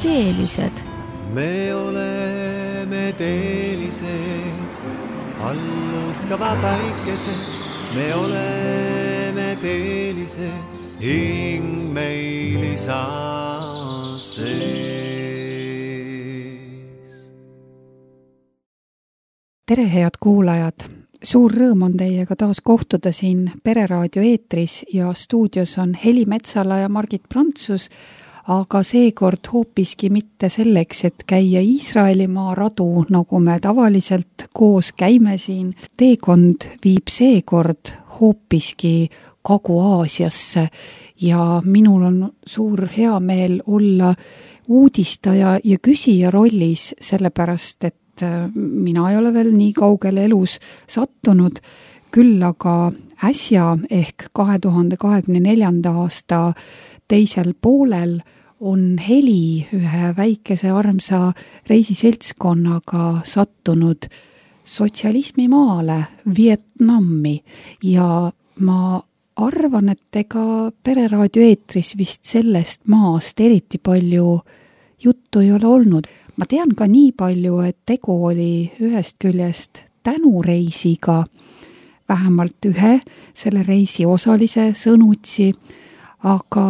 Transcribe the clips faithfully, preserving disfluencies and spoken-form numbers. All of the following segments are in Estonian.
teelised. Me oleme teelised, alluskava päikesed. Me oleme teelised, hing meil isa sees. Tere, head kuulajad! Suur rõõm on teiega taas kohtuda siin Pereraadio eetris ja stuudios on Heli Metsala ja Margit Prantsus, aga seekord hoopiski mitte selleks, et käia Iisraelimaa radu, nagu me tavaliselt koos käime siin. Teekond viib seekord hoopiski Kagu-Aasiasse ja minul on suur hea meel olla uudistaja ja küsija rollis, sellepärast et mina ei ole veel nii kaugele elus sattunud, küll aga äsja ehk kahe tuhande kahekümne neljanda aasta teisel poolel on Heli ühe väikese armsa reisiseltskonnaga sattunud sotsialismi maale, Vietnami, ja ma arvan, et ega Pereraadio eetris vist sellest maast eriti palju juttu ei ole olnud. Ma tean ka nii palju, et tegu oli ühest küljest tänureisiga, vähemalt ühe selle reisi osalise sõnutsi, aga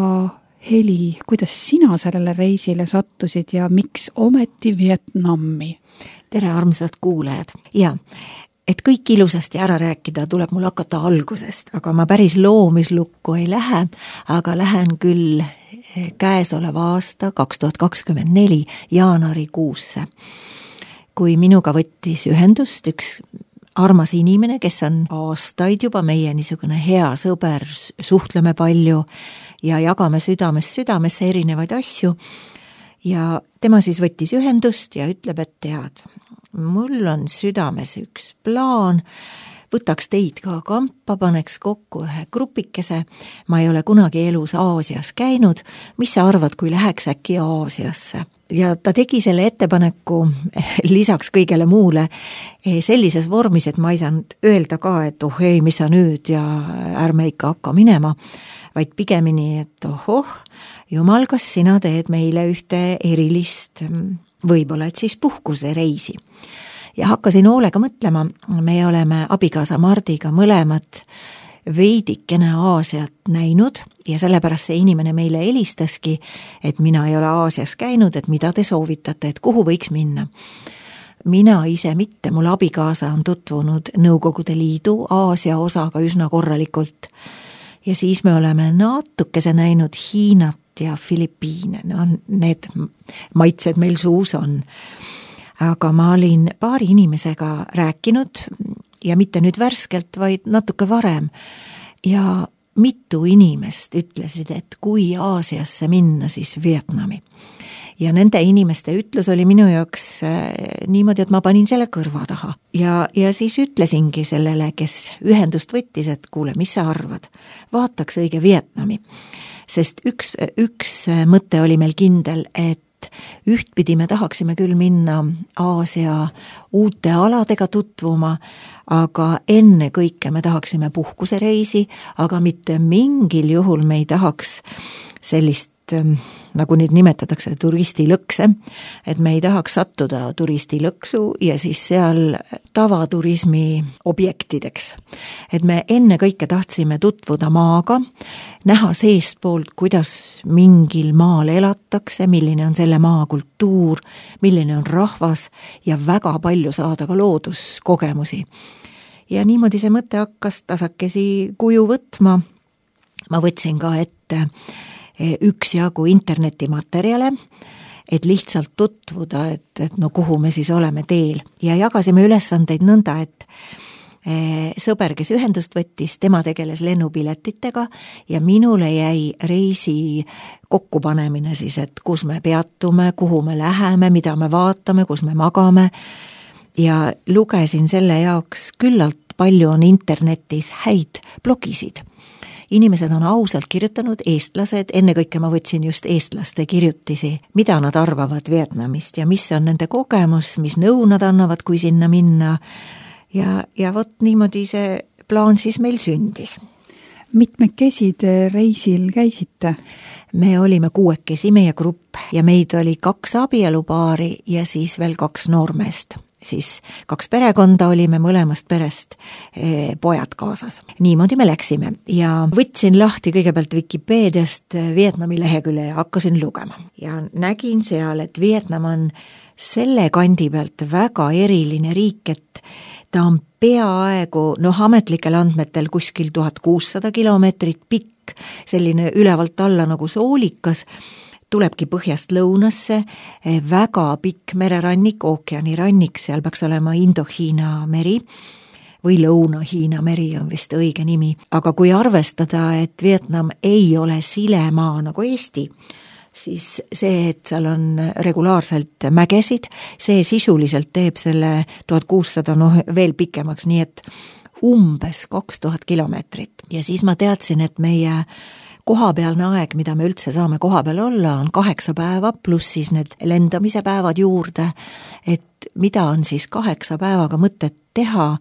Heli, kuidas sina sellele reisile sattusid ja miks ometi Vietnami? Tere, armsad kuulajad! Ja, et kõik ilusasti ära rääkida, tuleb mul hakata algusest, aga ma päris loomislukku ei lähe, aga lähen küll käesoleva aasta kaks tuhat kakskümmend neli jaanuarikuusse, kui minuga võttis ühendust üks armas inimene, kes on aastaid juba meie niisugune hea sõber, suhtleme palju ja jagame südamest südamesse erinevaid asju. Ja tema siis võttis ühendust ja ütleb, et tead, mul on südames üks plaan, võtaks teid ka kampa, paneks kokku ühe grupikese. Ma ei ole kunagi elus Aasias käinud. Mis sa arvad, kui läheks äkki Aasiasse? Ja ta tegi selle ettepaneku lisaks kõigele muule sellises vormis, et ma ei saanud öelda ka, et oh ei, mis sa nüüd ja ärme ikka hakka minema, vaid pigemini, et ohoh, jumal, kas sina teed meile ühte erilist, võib-olla et siis puhkuse reisi. Ja hakkasin hoolega mõtlema, me oleme abikaasa Mardiga mõlemad veidikene Aasiat näinud ja sellepärast see inimene meile helistaski, et mina ei ole Aasias käinud, et mida te soovitate, et kuhu võiks minna. Mina ise mitte, mul abikaasa on tutvunud Nõukogude Liidu Aasia osaga üsna korralikult ja siis me oleme natukese näinud Hiinat ja Filipiine, no need maitsed meil suus on. Aga ma olin paari inimesega rääkinud ja mitte nüüd värskelt, vaid natuke varem. Ja mitu inimest ütlesid, et kui Aasiasse minna, siis Vietnami. Ja nende inimeste ütlus oli minu jaoks niimoodi, et ma panin selle kõrva taha. Ja, ja siis ütlesingi sellele, kes ühendust võttis, et kuule, mis sa arvad? Vaataks õige Vietnami. Sest üks, üks mõte oli meil kindel, et ühtpidi me tahaksime küll minna Aasia uute aladega tutvuma, aga enne kõike me tahaksime puhkusereisi, aga mitte mingil juhul me ei tahaks sellist, nagu neid nimetatakse, turistilõkse, et me ei tahaks sattuda turistilõksu ja siis seal tavaturismi objektideks. Et me enne kõike tahtsime tutvuda maaga, näha seestpoolt, kuidas mingil maal elatakse, milline on selle maa kultuur, milline on rahvas ja väga palju saada ka looduskogemusi. Ja niimoodi see mõte hakkas tasakesi kuju võtma. Ma võtsin ka ette üksjagu internetimaterjale, et lihtsalt tutvuda, et, et no kuhu me siis oleme teel. Ja jagasime ülesandeid nõnda, et sõber, kes ühendust võttis, tema tegeles lennupiletitega ja minule jäi reisi kokkupanemine siis, et kus me peatume, kuhu me läheme, mida me vaatame, kus me magame. Ja lugesin selle jaoks küllalt palju on internetis häid blogisid. Inimesed on ausalt kirjutanud, eestlased, enne kõike ma võtsin just eestlaste kirjutisi, mida nad arvavad Vietnamist ja mis on nende kogemus, mis nõu nad annavad, kui sinna minna. Ja, ja vot niimoodi see plaan siis meil sündis. Mitmekesi te reisil käisite? me olime kuuekesi, meie grupp, ja meid oli kaks abielupaari ja siis veel kaks noormeest. Siis kaks perekonda olime mõlemast perest eh, pojad kaasas. Niimoodi me läksime ja võtsin lahti kõigepealt Wikipeediast Vietnami lehekülje ja hakkasin lugema. Ja nägin seal, et Vietnam on selle kandi pealt väga eriline riik, et ta on peaaegu, noh, ametlikel andmetel kuskil tuhat kuussada kilomeetrit pikk, selline ülevalt alla nagu soolikas, tulebki põhjast lõunasse, väga pikk mererannik, ookeanirannik, seal peaks olema Indo-Hiina meri või Lõuna-Hiina meri on vist õige nimi. Aga kui arvestada, et Vietnam ei ole silemaa nagu Eesti, siis see, et seal on regulaarselt mägesid, see sisuliselt teeb selle tuhat kuussada noh, veel pikemaks, nii et umbes kaks tuhat kilomeetrit. Ja siis ma teadsin, et meie kohapealne aeg, mida me üldse saame koha peal olla, on kaheksa päeva, pluss siis need lendamise päevad juurde, et mida on siis kaheksa päevaga mõtet teha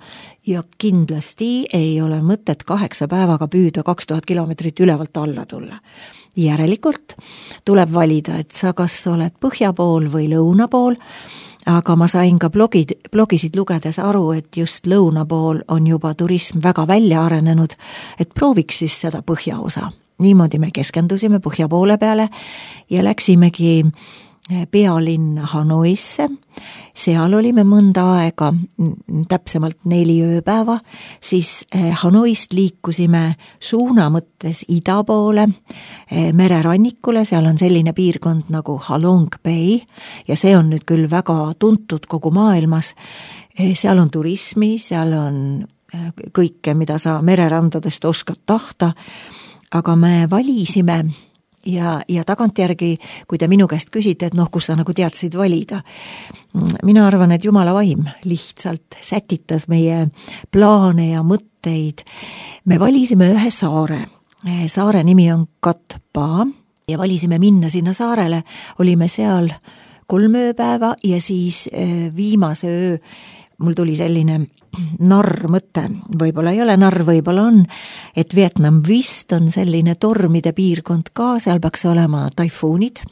ja kindlasti ei ole mõtet kaheksa päevaga püüda kaks tuhat kilomeetrit ülevalt alla tulla. Järelikult tuleb valida, et sa kas oled põhja pool või lõuna pool, aga ma sain ka blogid, blogisid lugedes aru, et just lõuna pool on juba turism väga välja arenenud, et prooviks siis seda põhjaosa. Niimoodi me keskendusime põhja poole peale ja läksimegi pealinna Hanoisse. Seal olime mõnda aega, täpsemalt neli ööpäeva, siis Hanoist liikusime suuna mõttes ida poole, mererannikule, seal on selline piirkond nagu Halong Bay ja see on nüüd küll väga tuntud kogu maailmas. Seal on turismi, seal on kõike, mida sa mererandadest oskad tahta, aga me valisime ja, ja tagantjärgi, kui te minu käest küsite, et noh, kus sa nagu teadsid valida. Mina arvan, et Jumala vaim lihtsalt sätitas meie plaane ja mõtteid. Me valisime ühe saare. Saare nimi on Cat Ba ja valisime minna sinna saarele. Olime seal kolm ööpäeva ja siis viimase öö mul tuli selline narr mõte, võib-olla ei ole narr, võib-olla on, et Vietnam vist on selline tormide piirkond ka, seal peaks olema taifuunid,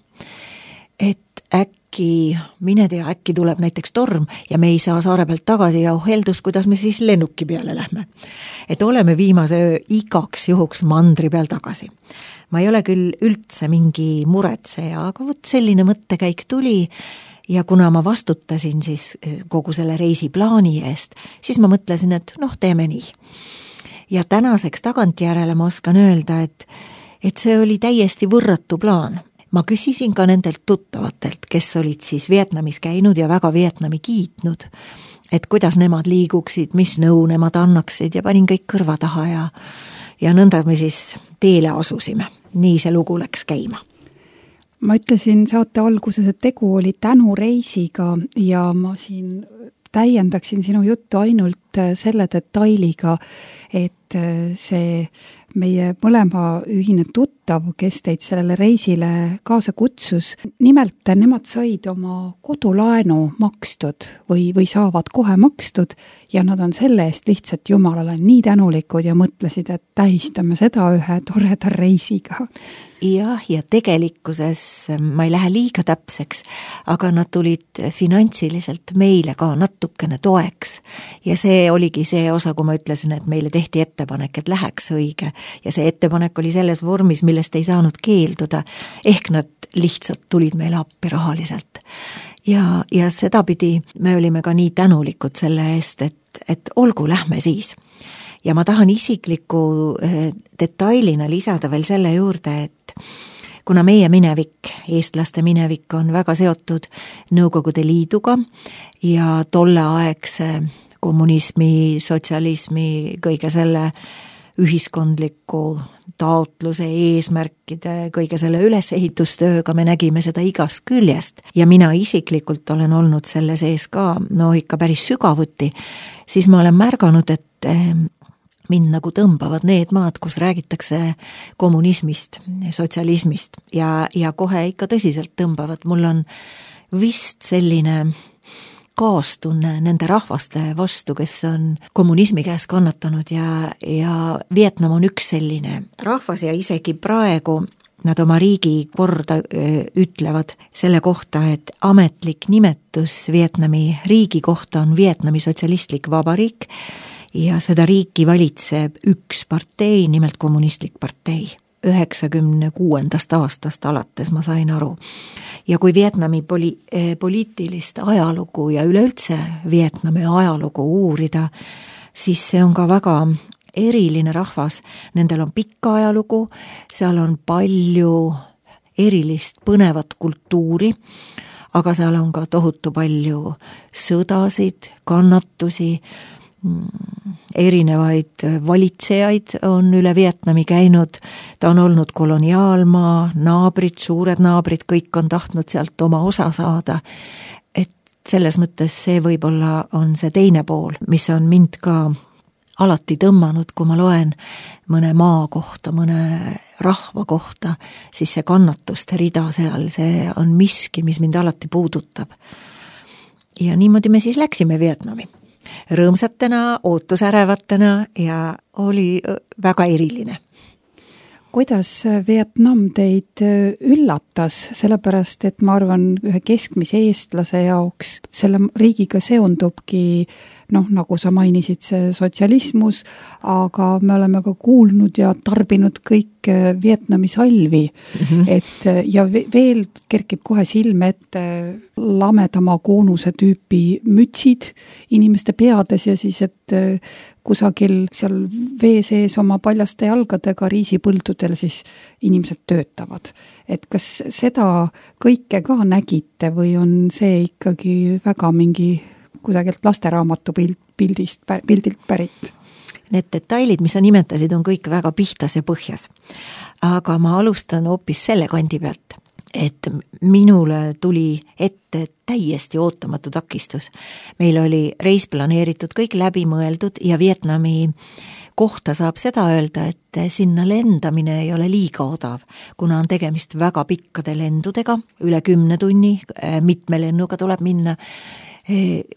et äkki, mine tea, äkki tuleb näiteks torm ja me ei saa saare pealt tagasi ja heldus, kuidas me siis lennuki peale lähme. Et oleme viimase öö igaks juhuks mandri peal tagasi. Ma ei ole küll üldse mingi muretseja, aga võt selline mõttekäik tuli. Ja kuna ma vastutasin siis kogu selle reisiplaani eest, siis ma mõtlesin, et noh, teeme nii. Ja tänaseks tagantjärele ma oskan öelda, et, et see oli täiesti võrratu plaan. Ma küsisin ka nendelt tuttavatelt, kes olid siis Vietnamis käinud ja väga Vietnami kiitnud, et kuidas nemad liiguksid, mis nõu nemad annaksid ja panin kõik kõrva taha ja, ja nõnda me siis teele asusime. Nii see lugu läks käima. Ma ütlesin saate alguses, et tegu oli tänureisiga ja ma siin täiendaksin sinu juttu ainult selle detailiga, et see meie mõlema ühine tuttav, kes teid sellele reisile kaasa kutsus, nimelt nemad said oma kodulaenu makstud või, või saavad kohe makstud ja nad on selle eest lihtsalt Jumalale nii tänulikud ja mõtlesid, et tähistame seda ühe toreda reisiga. Jah, ja tegelikkuses ma ei lähe liiga täpseks, aga nad tulid finantsiliselt meile ka natukene toeks. Ja see oligi see osa, kui ma ütlesin, et meile tehti ettepanek, et läheks õige. Ja see ettepanek oli selles vormis, millest ei saanud keelduda. Ehk nad lihtsalt tulid meile appi rahaliselt. Ja, ja sedapidi me olime ka nii tänulikud selle eest, et, et olgu, lähme siis. Ja ma tahan isikliku detailina lisada veel selle juurde, et kuna meie minevik, eestlaste minevik on väga seotud Nõukogude Liiduga ja tolleaegse kommunismi, sotsialismi, kõige selle ühiskondliku taotluse, eesmärkide, kõige selle ülesehitustööga me nägime seda igast küljest ja mina isiklikult olen olnud selle sees ka, no ikka päris sügavuti, siis ma olen märganud, et mind nagu tõmbavad need maad, kus räägitakse kommunismist, sotsialismist ja, ja kohe ikka tõsiselt tõmbavad. Mul on vist selline kaastunne nende rahvaste vastu, kes on kommunismi käes kannatanud ja, ja Vietnam on üks selline rahvas ja isegi praegu nad oma riigi korda ütlevad selle kohta, et ametlik nimetus Vietnami riigi kohta on Vietnami sotsialistlik vabariik ja seda riiki valitseb üks partei, nimelt kommunistlik partei. üheksakümne kuuendast aastast alates ma sain aru. Ja kui Vietnami poli- poliitilist ajalugu ja üleüldse Vietnami ajalugu uurida, siis see on ka väga eriline rahvas, nendel on pikka ajalugu, seal on palju erilist põnevat kultuuri, aga seal on ka tohutu palju sõdasid, kannatusi, erinevaid valitsejaid on üle Vietnami käinud, ta on olnud koloniaalmaa, naabrid, suured naabrid, kõik on tahtnud sealt oma osa saada, et selles mõttes see võib-olla on see teine pool, mis on mind ka alati tõmmanud, kui ma loen mõne maa kohta, mõne rahva kohta, siis see kannatuste rida seal, see on miski, mis mind alati puudutab. Ja niimoodi me siis läksime Vietnami. Rõõmsatena, ootusärevatena ja oli väga eriline. Kuidas Vietnam teid üllatas, sellepärast et ma arvan, ühe keskmise eestlase jaoks selle riigiga seondubki, noh, nagu sa mainisid, see sotsialismus, aga me oleme ka kuulnud ja tarbinud kõik Vietnami salvi, mm-hmm. et ja veel kerkib kohe silme ette lamedama koonuse tüüpi mütsid inimeste peades ja siis, et kusagil seal vee sees oma paljaste jalgadega riisipõldudel siis inimesed töötavad. Et kas seda kõike ka nägite või on see ikkagi väga mingi kusagilt lasteraamatu pildist, pildilt pärit? Need detailid, mis sa nimetasid, on kõik väga pihtas ja põhjas. Aga ma alustan hoopis selle kandi pealt, et minule tuli ette täiesti ootamatu takistus. Meil oli reis planeeritud, kõik läbi mõeldud ja Vietnami kohta saab seda öelda, et sinna lendamine ei ole liiga odav, kuna on tegemist väga pikkade lendudega, üle kümne tunni, mitme lennuga tuleb minna.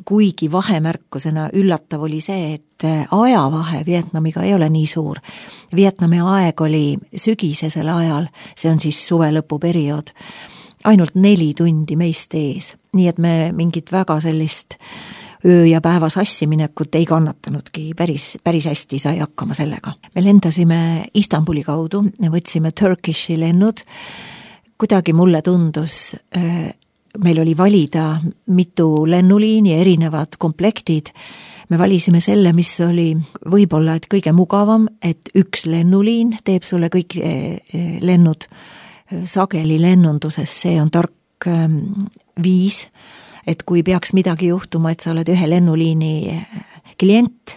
Kuigi vahemärkusena üllatav oli see, et ajavahe Vietnamiga ei ole nii suur. Vietnami aeg oli sügisesel ajal, see on siis suve lõpuperiood, ainult neli tundi meist ees. Nii et me mingit väga sellist öö ja päeva sassiminekut ei kannatanudki, päris, päris hästi sai hakkama sellega. Me lendasime Istanbuli kaudu, võtsime Turkishi lennud, kuidagi mulle tundus meil oli valida mitu lennuliini, erinevad komplektid. Me valisime selle, mis oli võib-olla et kõige mugavam, et üks lennuliin teeb sulle kõik lennud sageli lennunduses. See on tark viis, et kui peaks midagi juhtuma, et sa oled ühe lennuliini klient,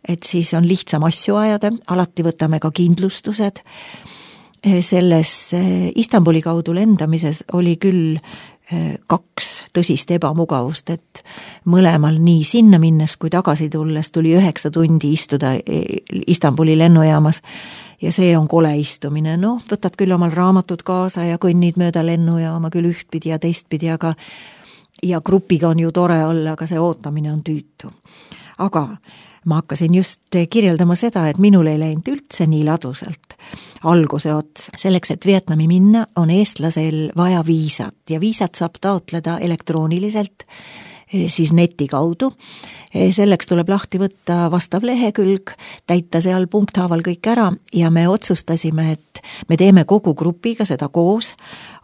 et siis on lihtsam asju ajada, alati võtame ka kindlustused. Selles Istanbuli kaudu lendamises oli küll kaks tõsist ebamugavust, et mõlemal nii sinna minnes kui tagasi tulles tuli üheksa tundi istuda Istanbuli lennujaamas ja see on kole istumine. No, võtad küll omal raamatud kaasa ja kõnnid mööda lennujaama küll ühtpidi ja teistpidi, aga ja grupiga on ju tore olla, aga see ootamine on tüütu. Aga ma hakkasin just kirjeldama seda, et minul ei läinud üldse nii ladusalt alguse ots. Selleks, et Vietnami minna, on eestlasel vaja viisat ja viisat saab taotleda elektrooniliselt, siis neti kaudu. Selleks tuleb lahti võtta vastav lehekülg, täita seal punkthaaval kõik ära ja me otsustasime, et me teeme kogu grupiga seda koos,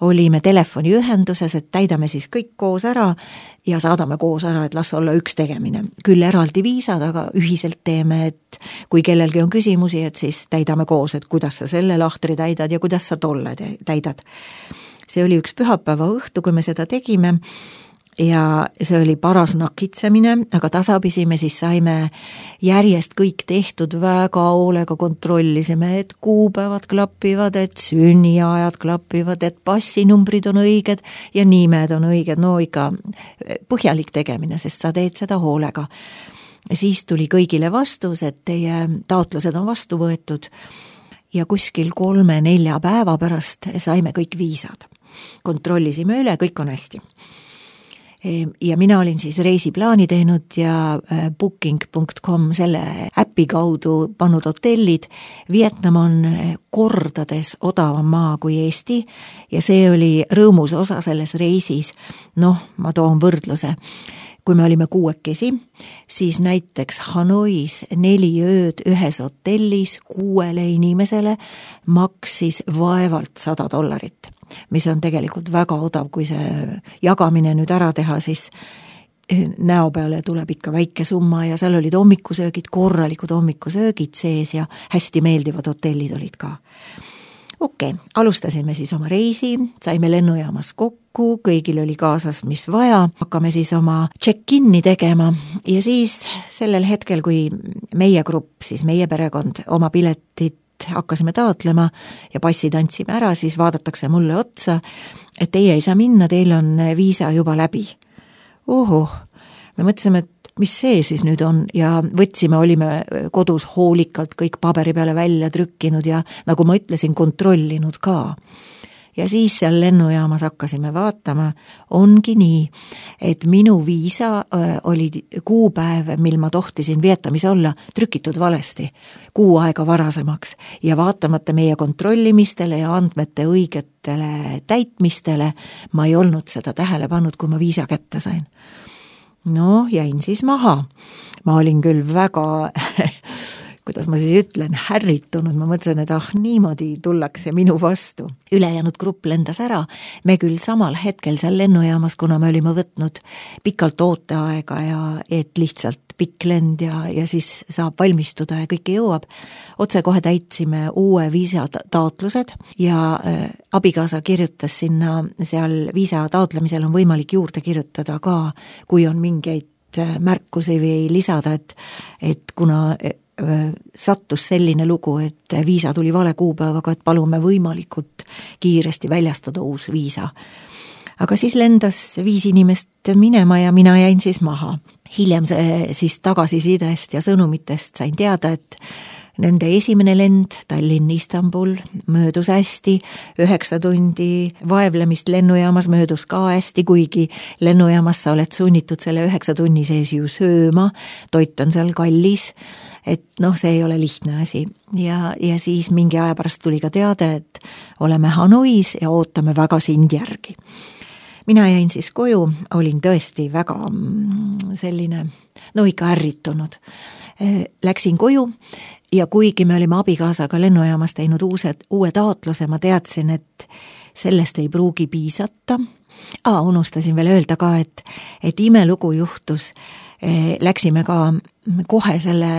olime telefoniühenduses, et täidame siis kõik koos ära ja saadame koos ära, et las olla üks tegemine. Küll eraldi viisad, aga ühiselt teeme, et kui kellelgi on küsimusi, et siis täidame koos, et kuidas sa selle lahtri täidad ja kuidas sa tolle täidad. See oli üks pühapäeva õhtu, kui me seda tegime ja see oli paras nakitsemine, aga tasapisi me siis saime järjest kõik tehtud, väga hoolega kontrollisime, et kuupäevad klapivad, et sünniajad klapivad, et passinumbrid on õiged ja nimed on õiged, no ikka põhjalik tegemine, sest sa teed seda hoolega. Siis tuli kõigile vastus, et teie taotlused on vastu võetud ja kuskil kolme-nelja päeva pärast saime kõik viisad. Kontrollisime üle, kõik on hästi. ja mina olin siis reisiplaani teinud ja booking punkt com selle äpi kaudu pannud hotellid. Vietnam on kordades odavam maa kui Eesti ja see oli rõõmus osa selles reisis. Noh, ma toon võrdluse. Kui me olime kuuekesi, siis näiteks Hanois neli ööd ühes hotellis kuuele inimesele maksis vaevalt sada dollarit, mis on tegelikult väga odav, kui see jagamine nüüd ära teha, siis näo peale tuleb ikka väike summa ja seal olid hommikusöögid, korralikud hommikusöögid sees ja hästi meeldivad hotellid olid ka. Okei, okay, alustasime siis oma reisi, saime lennujaamas kokku, kõigil oli kaasas, mis vaja, hakkame siis oma check-in'i tegema ja siis sellel hetkel, kui meie grupp, siis meie perekond oma piletit hakkasime taotlema ja passid andsime ära, siis vaadatakse mulle otsa, et teie ei saa minna, teil on viisa juba läbi. Oho, me mõtlesime, et mis see siis nüüd on ja võtsime, olime kodus hoolikalt kõik paberi peale välja trükkinud ja nagu ma ütlesin, kontrollinud ka. Ja siis seal lennujaamas hakkasime vaatama, ongi nii, et minu viisa oli kuupäev, mil ma tohtisin Vietnamis olla, trükitud valesti, kuu aega varasemaks ja vaatamata meie kontrollimistele ja andmete õigetele täitmistele, ma ei olnud seda tähele pannud, kui ma viisa kätte sain. No, jäin siis maha. Ma olin küll väga, kuidas ma siis ütlen, härritunud. Ma mõtlesin, et ah, niimoodi tullakse minu vastu. Ülejäänud grupp lendas ära. Me küll samal hetkel seal lennujaamas, kuna me olime võtnud pikalt ooteaega ja et lihtsalt pikk lend ja, ja siis saab valmistuda ja kõike jõuab. Otse kohe täitsime uue viisa taotlused ja äh, abikaasa kirjutas sinna, seal viisa taotlemisel on võimalik juurde kirjutada ka, kui on mingeid märkusi või lisada, et, et kuna äh, sattus selline lugu, et viisa tuli vale kuupäevaga, et palume võimalikult kiiresti väljastada uus viisa. Aga siis lendas viis inimest minema ja mina jäin siis maha. Hiljem siis tagasisidest ja sõnumitest sain teada, et nende esimene lend Tallinn-Istanbul möödus hästi, üheksa tundi vaevlemist lennujaamas möödus ka hästi, kuigi lennujaamas sa oled sunnitud selle üheksa tunni sees ju sööma, toit on seal kallis, et noh, see ei ole lihtne asi. Ja, ja siis mingi aja pärast tuli ka teade, et oleme Hanois ja ootame väga sind järgi. Mina jäin siis koju, olin tõesti väga selline, no ikka ärritunud. Läksin koju ja kuigi me olime abikaasaga lennujaamas teinud uused, uue taotluse, ma teadsin, et sellest ei pruugi piisata. Aa, unustasin veel öelda ka, et, et imelugu juhtus. Läksime ka kohe selle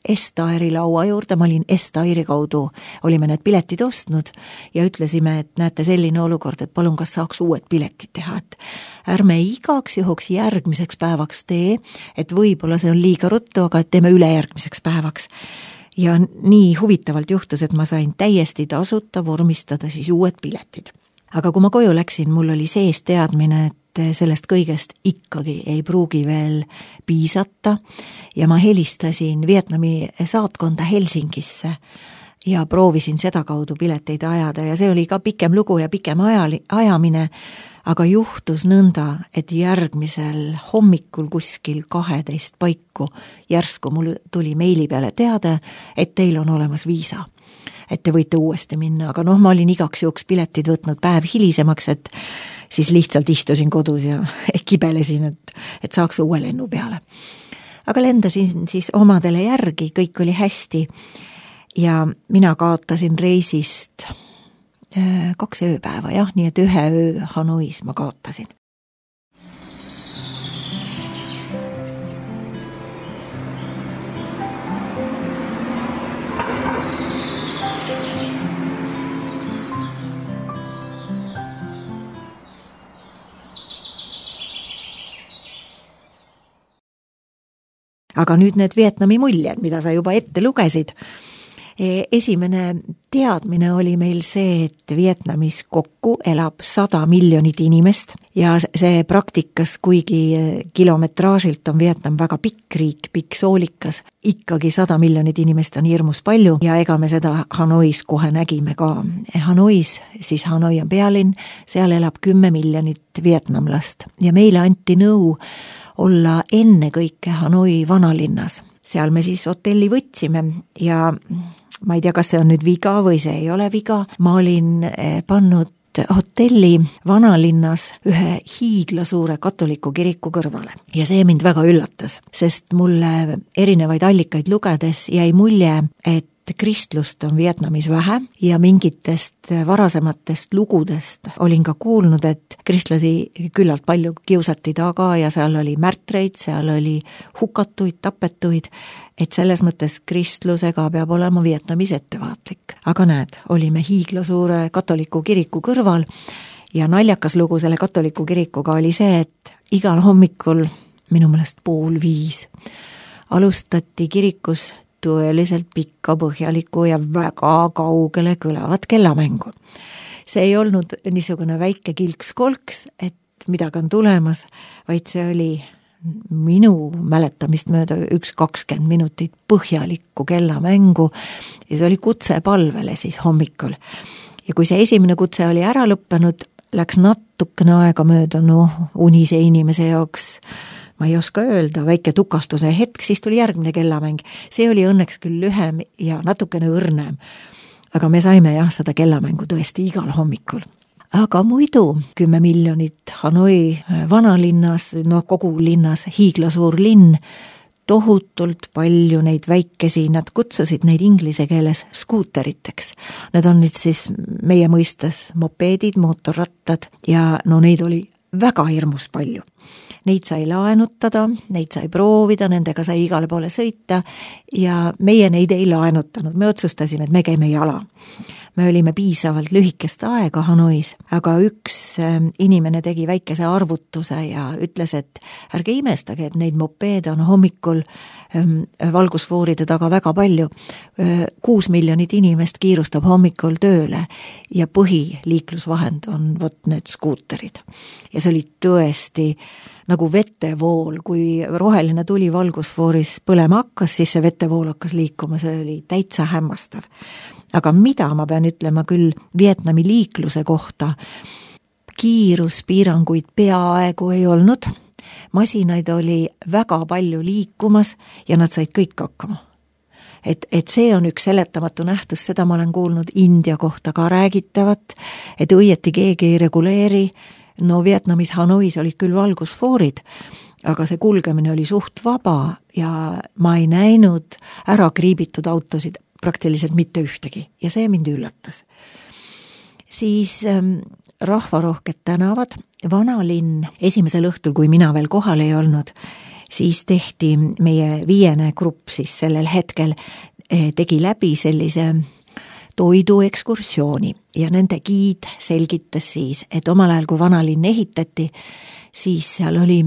Estairi laua juurde, ma olin Estairi kaudu, olime need piletid ostnud ja ütlesime, et näete selline olukord, et palun, kas saaks uued piletid teha, et ärme igaks juhuks järgmiseks päevaks tee, et võib-olla see on liiga ruttu, aga et teeme üle järgmiseks päevaks. Ja nii huvitavalt juhtus, et ma sain täiesti tasuta vormistada siis uued piletid. Aga kui ma koju läksin, mul oli sees teadmine, et sellest kõigest ikkagi ei pruugi veel piisata ja ma helistasin Vietnami saatkonda Helsingisse ja proovisin seda kaudu pileteid ajada ja see oli ka pikem lugu ja pikem ajali, ajamine, aga juhtus nõnda, et järgmisel hommikul kuskil kaheteist paiku järsku mul tuli meili peale teade, et teil on olemas viisa. Et te võite uuesti minna, aga noh, ma olin igaks juhuks piletid võtnud päev hilisemaks, et siis lihtsalt istusin kodus ja kibelesin, et, et saaks uue lennu peale. Aga lendasin siis omadele järgi, kõik oli hästi ja mina kaotasin reisist kaks ööpäeva, jah, nii et ühe öö Hanois ma kaotasin. Aga nüüd need Vietnami muljed, mida sa juba ette lugesid. Esimene teadmine oli meil see, et Vietnamis kokku elab sada miljonit inimest ja see praktikas, kuigi kilometraažilt on Vietnam väga pikk riik, pikk soolikas, ikkagi sada miljonit inimest on hirmus palju ja ega me seda Hanois kohe nägime ka. Hanois, siis Hanoi on pealinn, seal elab kümme miljonit vietnamlast ja meile anti nõu olla enne kõike Hanoi vanalinnas. Seal me siis hotelli võtsime ja ma ei tea, kas see on nüüd viga või see ei ole viga. Ma olin pannud hotelli vanalinnas ühe hiiglasuure katoliku kiriku kõrvale. Ja see mind väga üllatas, sest mulle erinevaid allikaid lugedes jäi mulje, et kristlust on Vietnamis vähe ja mingitest varasematest lugudest olin ka kuulnud, et kristlasi küllalt palju kiusati taga ja seal oli märtreid, seal oli hukatuid, tapetuid, et selles mõttes kristlusega peab olema Vietnamis ettevaatlik. Aga näed, olime hiiglasuure katoliku kiriku kõrval ja naljakas lugu selle katoliku kirikuga oli see, et igal hommikul, minu meelest pool viis, alustati kirikus tõeliselt pikka, põhjalikku ja väga kaugele kõlavat kellamängu. See ei olnud niisugune väike kilks-kolks, et midagi on tulemas, vaid see oli minu mäletamist mööda üks kakskümmend minutit põhjalikku kellamängu ja see oli kutse palvele siis hommikul. Ja kui see esimene kutse oli ära lõppenud, läks natukene aega mööda, noh, unise inimese jaoks ma ei oska öelda, väike tukastuse hetk, siis tuli järgmine kellamäng. See oli õnneks küll lühem ja natukene õrnem. Aga me saime jah seda kellamängu tõesti igal hommikul. Aga muidu kümme miljonit Hanoi vanalinnas, no kogu linnas, hiiglasuur linn, tohutult palju neid väikesi, nad kutsusid neid inglise keeles skuuteriteks. Need on nüüd siis meie mõistes mopeedid, mootorrattad ja no neid oli väga hirmus palju. Neid sai laenutada, neid sai proovida, nendega sai igale poole sõita ja meie neid ei laenutanud. Me otsustasime, et me käime jala. Me olime piisavalt lühikest aega Hanois, aga üks inimene tegi väikese arvutuse ja ütles, et ärge imestage, et neid mopeede on hommikul valgusfooride taga väga palju. Kuus miljonit inimest kiirustab hommikul tööle ja põhiliiklusvahend on vot need skuuterid. Ja see oli tõesti nagu vetevool, kui roheline tuli valgusfooris põlema hakkas, siis see vetevool hakkas liikuma, see oli täitsa hämmastav. Aga mida ma pean ütlema küll Vietnami liikluse kohta, kiiruspiiranguid peaaegu ei olnud, masinaid oli väga palju liikumas ja nad said kõik hakkama. Et, et see on üks seletamatu nähtus, seda ma olen kuulnud India kohta ka räägitavat, et õieti keegi ei reguleeri. No Vietnamis Hanois olid küll valgusfoorid, aga see kulgemine oli suht vaba ja ma ei näinud ära kriibitud autosid praktiliselt mitte ühtegi ja see mind üllatas. Siis ähm, rahvarohked tänavad, vanalinn esimesel õhtul, kui mina veel kohal ei olnud, siis tehti meie viiene grupp siis sellel hetkel eh, tegi läbi sellise toiduekskursiooni ja nende giid selgitas siis, et omal ajal, kui vanalinn ehitati, siis seal oli,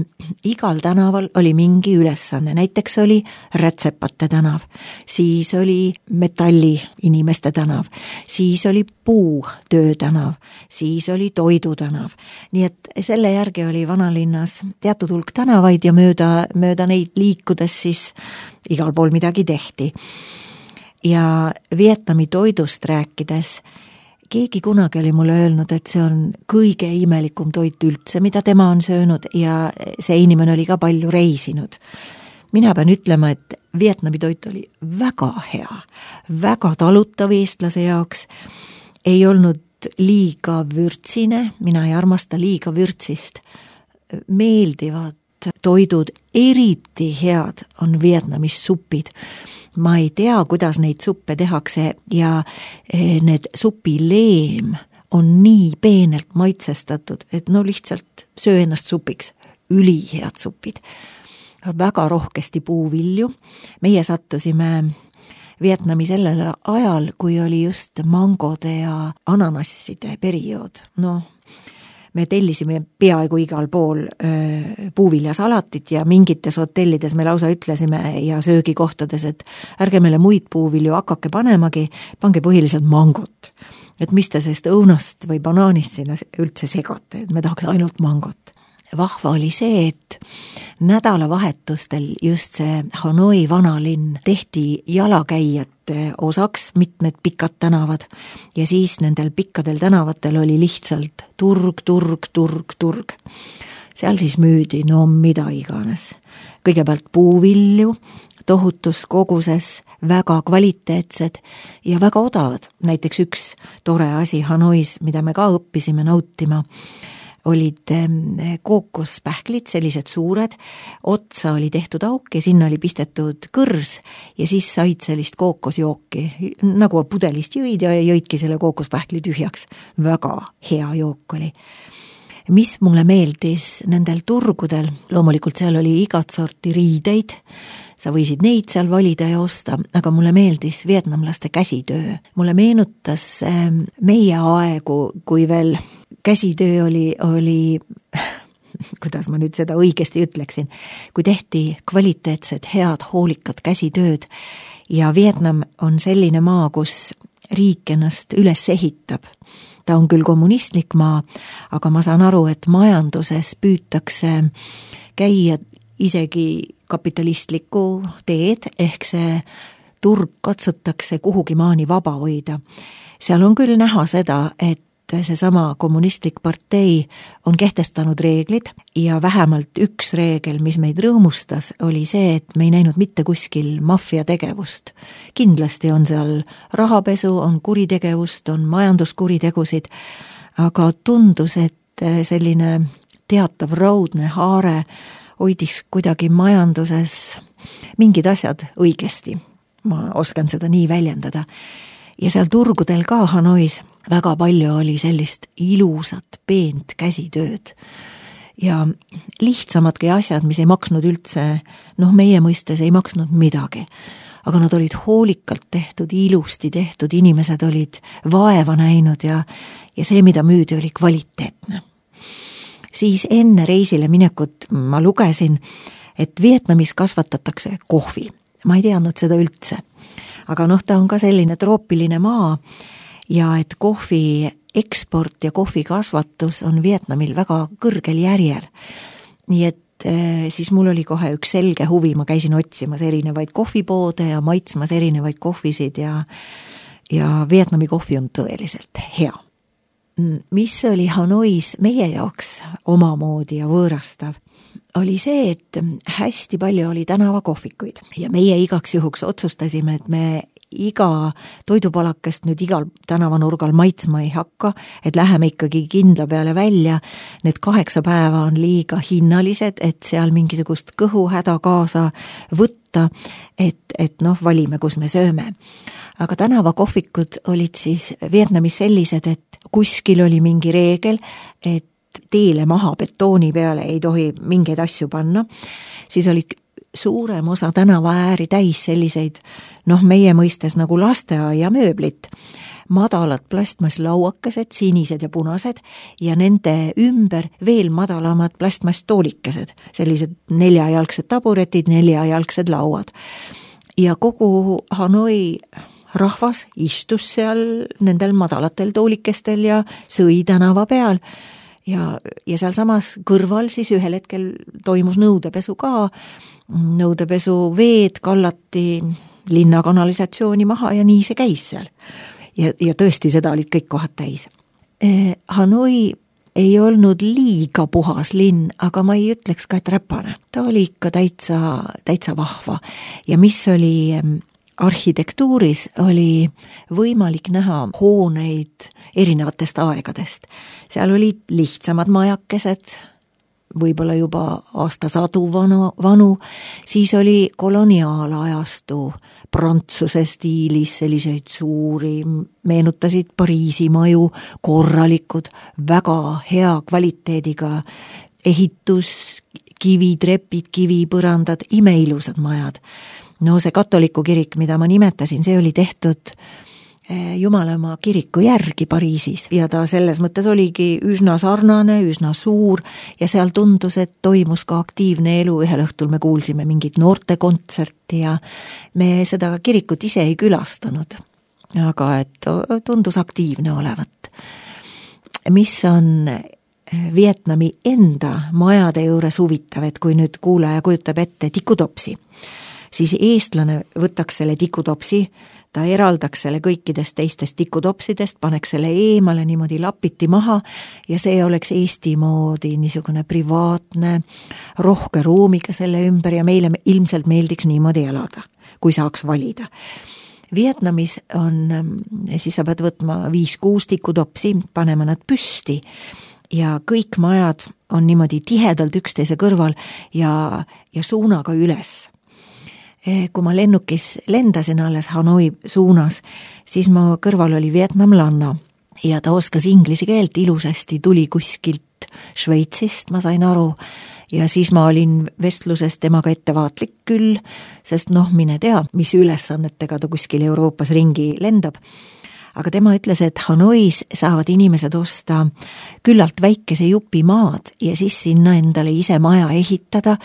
igal tänaval oli mingi ülesanne, näiteks oli rätsepate tänav, siis oli metalli inimeste tänav, siis oli puutöö tänav, siis oli toidu tänav. Nii et selle järgi oli vanalinnas teatud hulk tänavaid ja mööda, mööda neid liikudes siis igal pool midagi tehti. Ja Vietnami toidust rääkides, keegi kunagi oli mulle öelnud, et see on kõige imelikum toit üldse, mida tema on söönud ja see inimene oli ka palju reisinud. Mina pean ütlema, et Vietnami toit oli väga hea, väga talutav eestlase jaoks, ei olnud liiga vürtsine, mina ei armasta liiga vürtsist, meeldivad toidud, eriti head on Vietnamis supid. Ma ei tea, kuidas neid suppe tehakse ja need supileem on nii peenelt maitsestatud, et no lihtsalt söö ennast supiks. Ülihead supid. Väga rohkesti puuvilju. Meie sattusime Vietnami sellel ajal, kui oli just mangode ja ananasside periood. No, me tellisime peaaegu igal pool öö, puuviljasalatit ja mingites hotellides me lausa ütlesime ja söögikohtades, et ärge meile muid puuvilju hakake panemagi, pange põhiliselt mangot. Et mis te sellest õunast või banaanist sinna üldse segate, et me tahaks ainult mangot. Vahva oli see, et nädalavahetustel just see Hanoi vanalinn tehti jalakäijate osaks, mitmed pikad tänavad ja siis nendel pikkadel tänavatel oli lihtsalt turg, turg, turg, turg. Seal siis müüdi no mida iganes. Kõigepealt puuvilju, tohutus koguses, väga kvaliteetsed ja väga odavad. Näiteks üks tore asi Hanois, mida me ka õppisime nautima, olid kookospähklid, sellised suured, otsa oli tehtud auk ja sinna oli pistetud kõrs ja siis said sellist kookosjooki, nagu pudelist jõid ja jõidki selle kookospähkli tühjaks. Väga hea jook oli. Mis mulle meeldis nendel turgudel, loomulikult seal oli igat sorti riideid, sa võisid neid seal valida ja osta, aga mulle meeldis vietnamlaste käsitöö. Mulle meenutas meie aegu, kui veel käsitöö oli, oli, kuidas ma nüüd seda õigesti ütleksin, kui tehti kvaliteetsed, head, hoolikad käsitööd ja Vietnam on selline maa, kus riik ennast üles ehitab. Ta on küll kommunistlik maa, aga ma saan aru, et majanduses püütakse käia isegi kapitalistlikku teed, ehk see turg katsutakse kuhugi maani vaba hoida. Seal on küll näha seda, et seesama kommunistlik partei on kehtestanud reeglid ja vähemalt üks reegel, mis meid rõõmustas, oli see, et me ei näinud mitte kuskil maffia tegevust. Kindlasti on seal rahapesu, on kuritegevust, on majanduskuritegusid, aga tundus, et selline teatav raudne haare hoidis kuidagi majanduses mingid asjad õigesti. Ma oskan seda nii väljendada. Ja seal turgudel ka Hanois väga palju oli sellist ilusat, peent käsitööd. Ja lihtsamadki asjad, mis ei maksnud üldse, noh meie mõistes ei maksnud midagi. Aga nad olid hoolikalt tehtud, ilusti tehtud, inimesed olid vaeva näinud ja, ja see, mida müüdi, oli kvaliteetne. Siis enne reisile minekut ma lugesin, et Vietnamis kasvatatakse kohvi. Ma ei teadnud seda üldse. Aga noh, ta on ka selline troopiline maa ja et kohvi eksport ja kohvi kasvatus on Vietnamil väga kõrgel järjel. Nii et eh, siis mul oli kohe üks selge huvi, ma käisin otsimas erinevaid kohvipoode ja maitsmas erinevaid kohvisid ja, ja Vietnami kohvi on tõeliselt hea. Mis oli Hanois meie jaoks omamoodi ja võõrastav, oli see, et hästi palju oli tänavakohvikuid ja meie igaks juhuks otsustasime, et me iga toidupalakest nüüd igal tänavanurgal maitsma ei hakka, et läheme ikkagi kindla peale välja. Need kaheksa päeva on liiga hinnalised, et seal mingisugust kõhuhäda kaasa võtta, et, et noh, valime, kus me sööme. Aga tänavakohvikud olid siis Vietnamis sellised, et kuskil oli mingi reegel, et teele maha betooni peale ei tohi mingeid asju panna, siis olid suurem osa tänavaääri täis selliseid, noh meie mõistes nagu lasteaia mööblit, madalad plastmasslauakesed, sinised ja punased ja nende ümber veel madalamad plastmasstoolikesed, sellised neljajalgsed taburetid, neljajalgsed lauad. Ja kogu Hanoi rahvas istus seal nendel madalatel toolikestel ja sõi tänava peal. Ja, ja seal samas kõrval siis ühel hetkel toimus nõudepesu ka, nõudepesu veed kallati linna kanalisatsiooni maha ja nii see käis seal. Ja, ja tõesti seda olid kõik kohad täis. Eh, Hanoi ei olnud liiga puhas linn, aga ma ei ütleks ka, et räpane. Ta oli ikka täitsa, täitsa vahva ja mis oli arhitektuuris oli võimalik näha hooneid erinevatest aegadest. Seal olid lihtsamad majakesed, võib-olla juba aastasadu vanu, vanu, siis oli koloniaalajastu Prantsuse stiilis selliseid suuri, meenutasid Pariisi maju, korralikud, väga hea kvaliteediga ehitus, kivitrepid, kivipõrandad, imeilusad majad. No see katoliku kirik, mida ma nimetasin, see oli tehtud Jumalamaa kiriku järgi Pariisis ja ta selles mõttes oligi üsna sarnane, üsna suur ja seal tundus, et toimus ka aktiivne elu. Ühel õhtul me kuulsime mingit noortekontserti ja me seda kirikut ise ei külastanud, aga et tundus aktiivne olevat. Mis on Vietnami enda majade juures huvitav, et kui nüüd kuulaja kujutab ette tikutopsi, siis eestlane võtaks selle tikutopsi, ta eraldaks selle kõikidest teistest tikutopsidest, paneks selle eemale niimoodi lapiti maha ja see oleks Eesti moodi niisugune privaatne, rohke ruumiga selle ümber ja meile ilmselt meeldiks niimoodi elada, kui saaks valida. Vietnamis on, siis sa pead võtma viis-kuus tikutopsi, panema nad püsti ja kõik majad on niimoodi tihedalt üksteise kõrval ja, ja suunaga üles. Kui ma lennukis lendasin alles Hanoi suunas, siis ma kõrval oli vietnamlanna ja ta oskas inglise keelt ilusasti, tuli kuskilt Šveitsist, ma sain aru, ja siis ma olin vestluses temaga ettevaatlik küll, sest noh, mine tea, mis ülesannetega ta kuskil Euroopas ringi lendab. Aga tema ütles, et Hanois saavad inimesed osta küllalt väikese jupi maad ja siis sinna endale ise maja ehitada,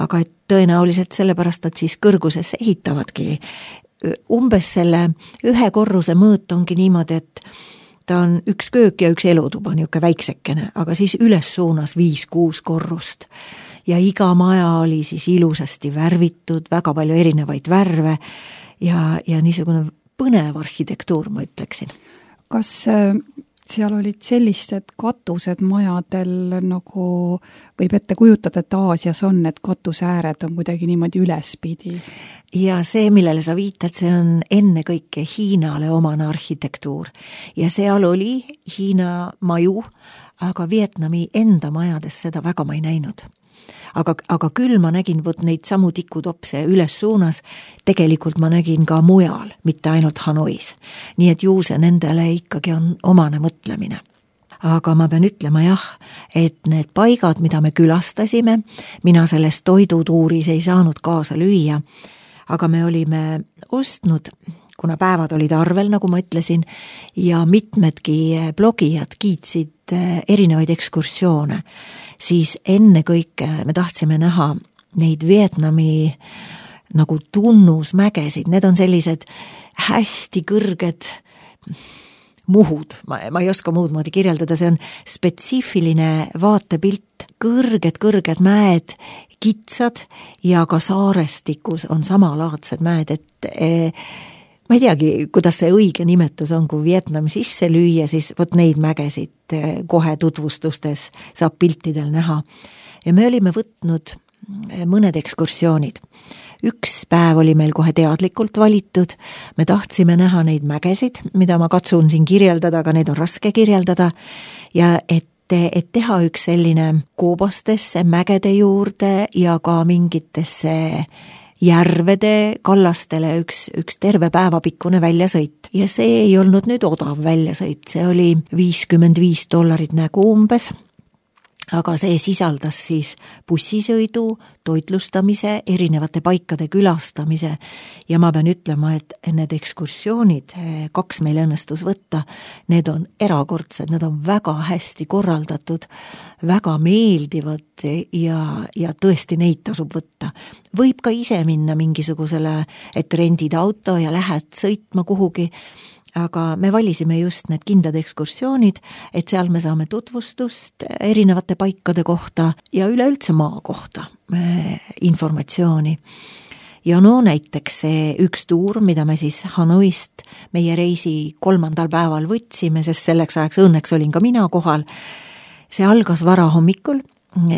aga et tõenäoliselt sellepärast nad siis kõrguses ehitavadki. Umbes selle ühe korruse mõõt ongi niimoodi, et ta on üks köök ja üks elutuba, niuke väiksekene, aga siis üles suunas viis-kuus korrust. Ja iga maja oli siis ilusasti värvitud, väga palju erinevaid värve ja, ja niisugune põnev arhitektuur, ma ütleksin. Kas seal olid sellised katused majadel, nagu võib ette kujutada, et Aasias on, et katusääred on kuidagi niimoodi ülespidi? Ja see, millele sa viitad, see on enne kõike Hiinale omane arhitektuur. Ja seal oli Hiina maju, aga Vietnami enda majades seda väga ma ei näinud. Aga, aga küll ma nägin võt neid samu tikutopse üles suunas, tegelikult ma nägin ka mujal, mitte ainult Hanois. Nii et ju see nendele ikkagi on omane mõtlemine. Aga ma pean ütlema jah, et need paigad, mida me külastasime, mina selles toidutuuris ei saanud kaasa lüüa, aga me olime ostnud, kuna päevad olid arvel, nagu ma ütlesin, ja mitmedki blogijad kiitsid erinevaid ekskursioone, siis enne kõike me tahtsime näha neid Vietnami nagu tunnusmägesid, need on sellised hästi kõrged muhud, ma, ma ei oska muud moodi kirjeldada, see on spetsiifiline vaatepilt, kõrged, kõrged mäed, kitsad ja ka saarestikus on samalaadsed mäed, et e, ma ei teagi, kuidas see õige nimetus on, kui Vietnam sisse lüüa, siis võt neid mägesid kohe tutvustustes saab piltidel näha. Ja me olime võtnud mõned ekskursioonid. Üks päev oli meil kohe teadlikult valitud, me tahtsime näha neid mägesid, mida ma katsun siin kirjeldada, aga need on raske kirjeldada, ja et, et teha üks selline koobastesse, mägede juurde ja ka mingitesse järvede kallastele üks, üks terve päevapikkune väljasõit. Ja see ei olnud nüüd odav väljasõit, see oli viiskümmend viis dollarit nägu umbes, aga see sisaldas siis bussisõidu, toitlustamise, erinevate paikade külastamise ja ma pean ütlema, et need ekskursioonid, kaks meil õnnestus võtta, need on erakordsed, need on väga hästi korraldatud, väga meeldivad ja, ja tõesti neid tasub võtta. Võib ka ise minna mingisugusele, et rendid auto ja lähed sõitma kuhugi, aga me valisime just need kindlad ekskursioonid, et seal me saame tutvustust erinevate paikade kohta ja üleüldse maa kohta informatsiooni. Ja no näiteks see üks tuur, mida me siis Hanoist meie reisi kolmandal päeval võtsime, sest selleks ajaks õnneks olin ka mina kohal, see algas vara hommikul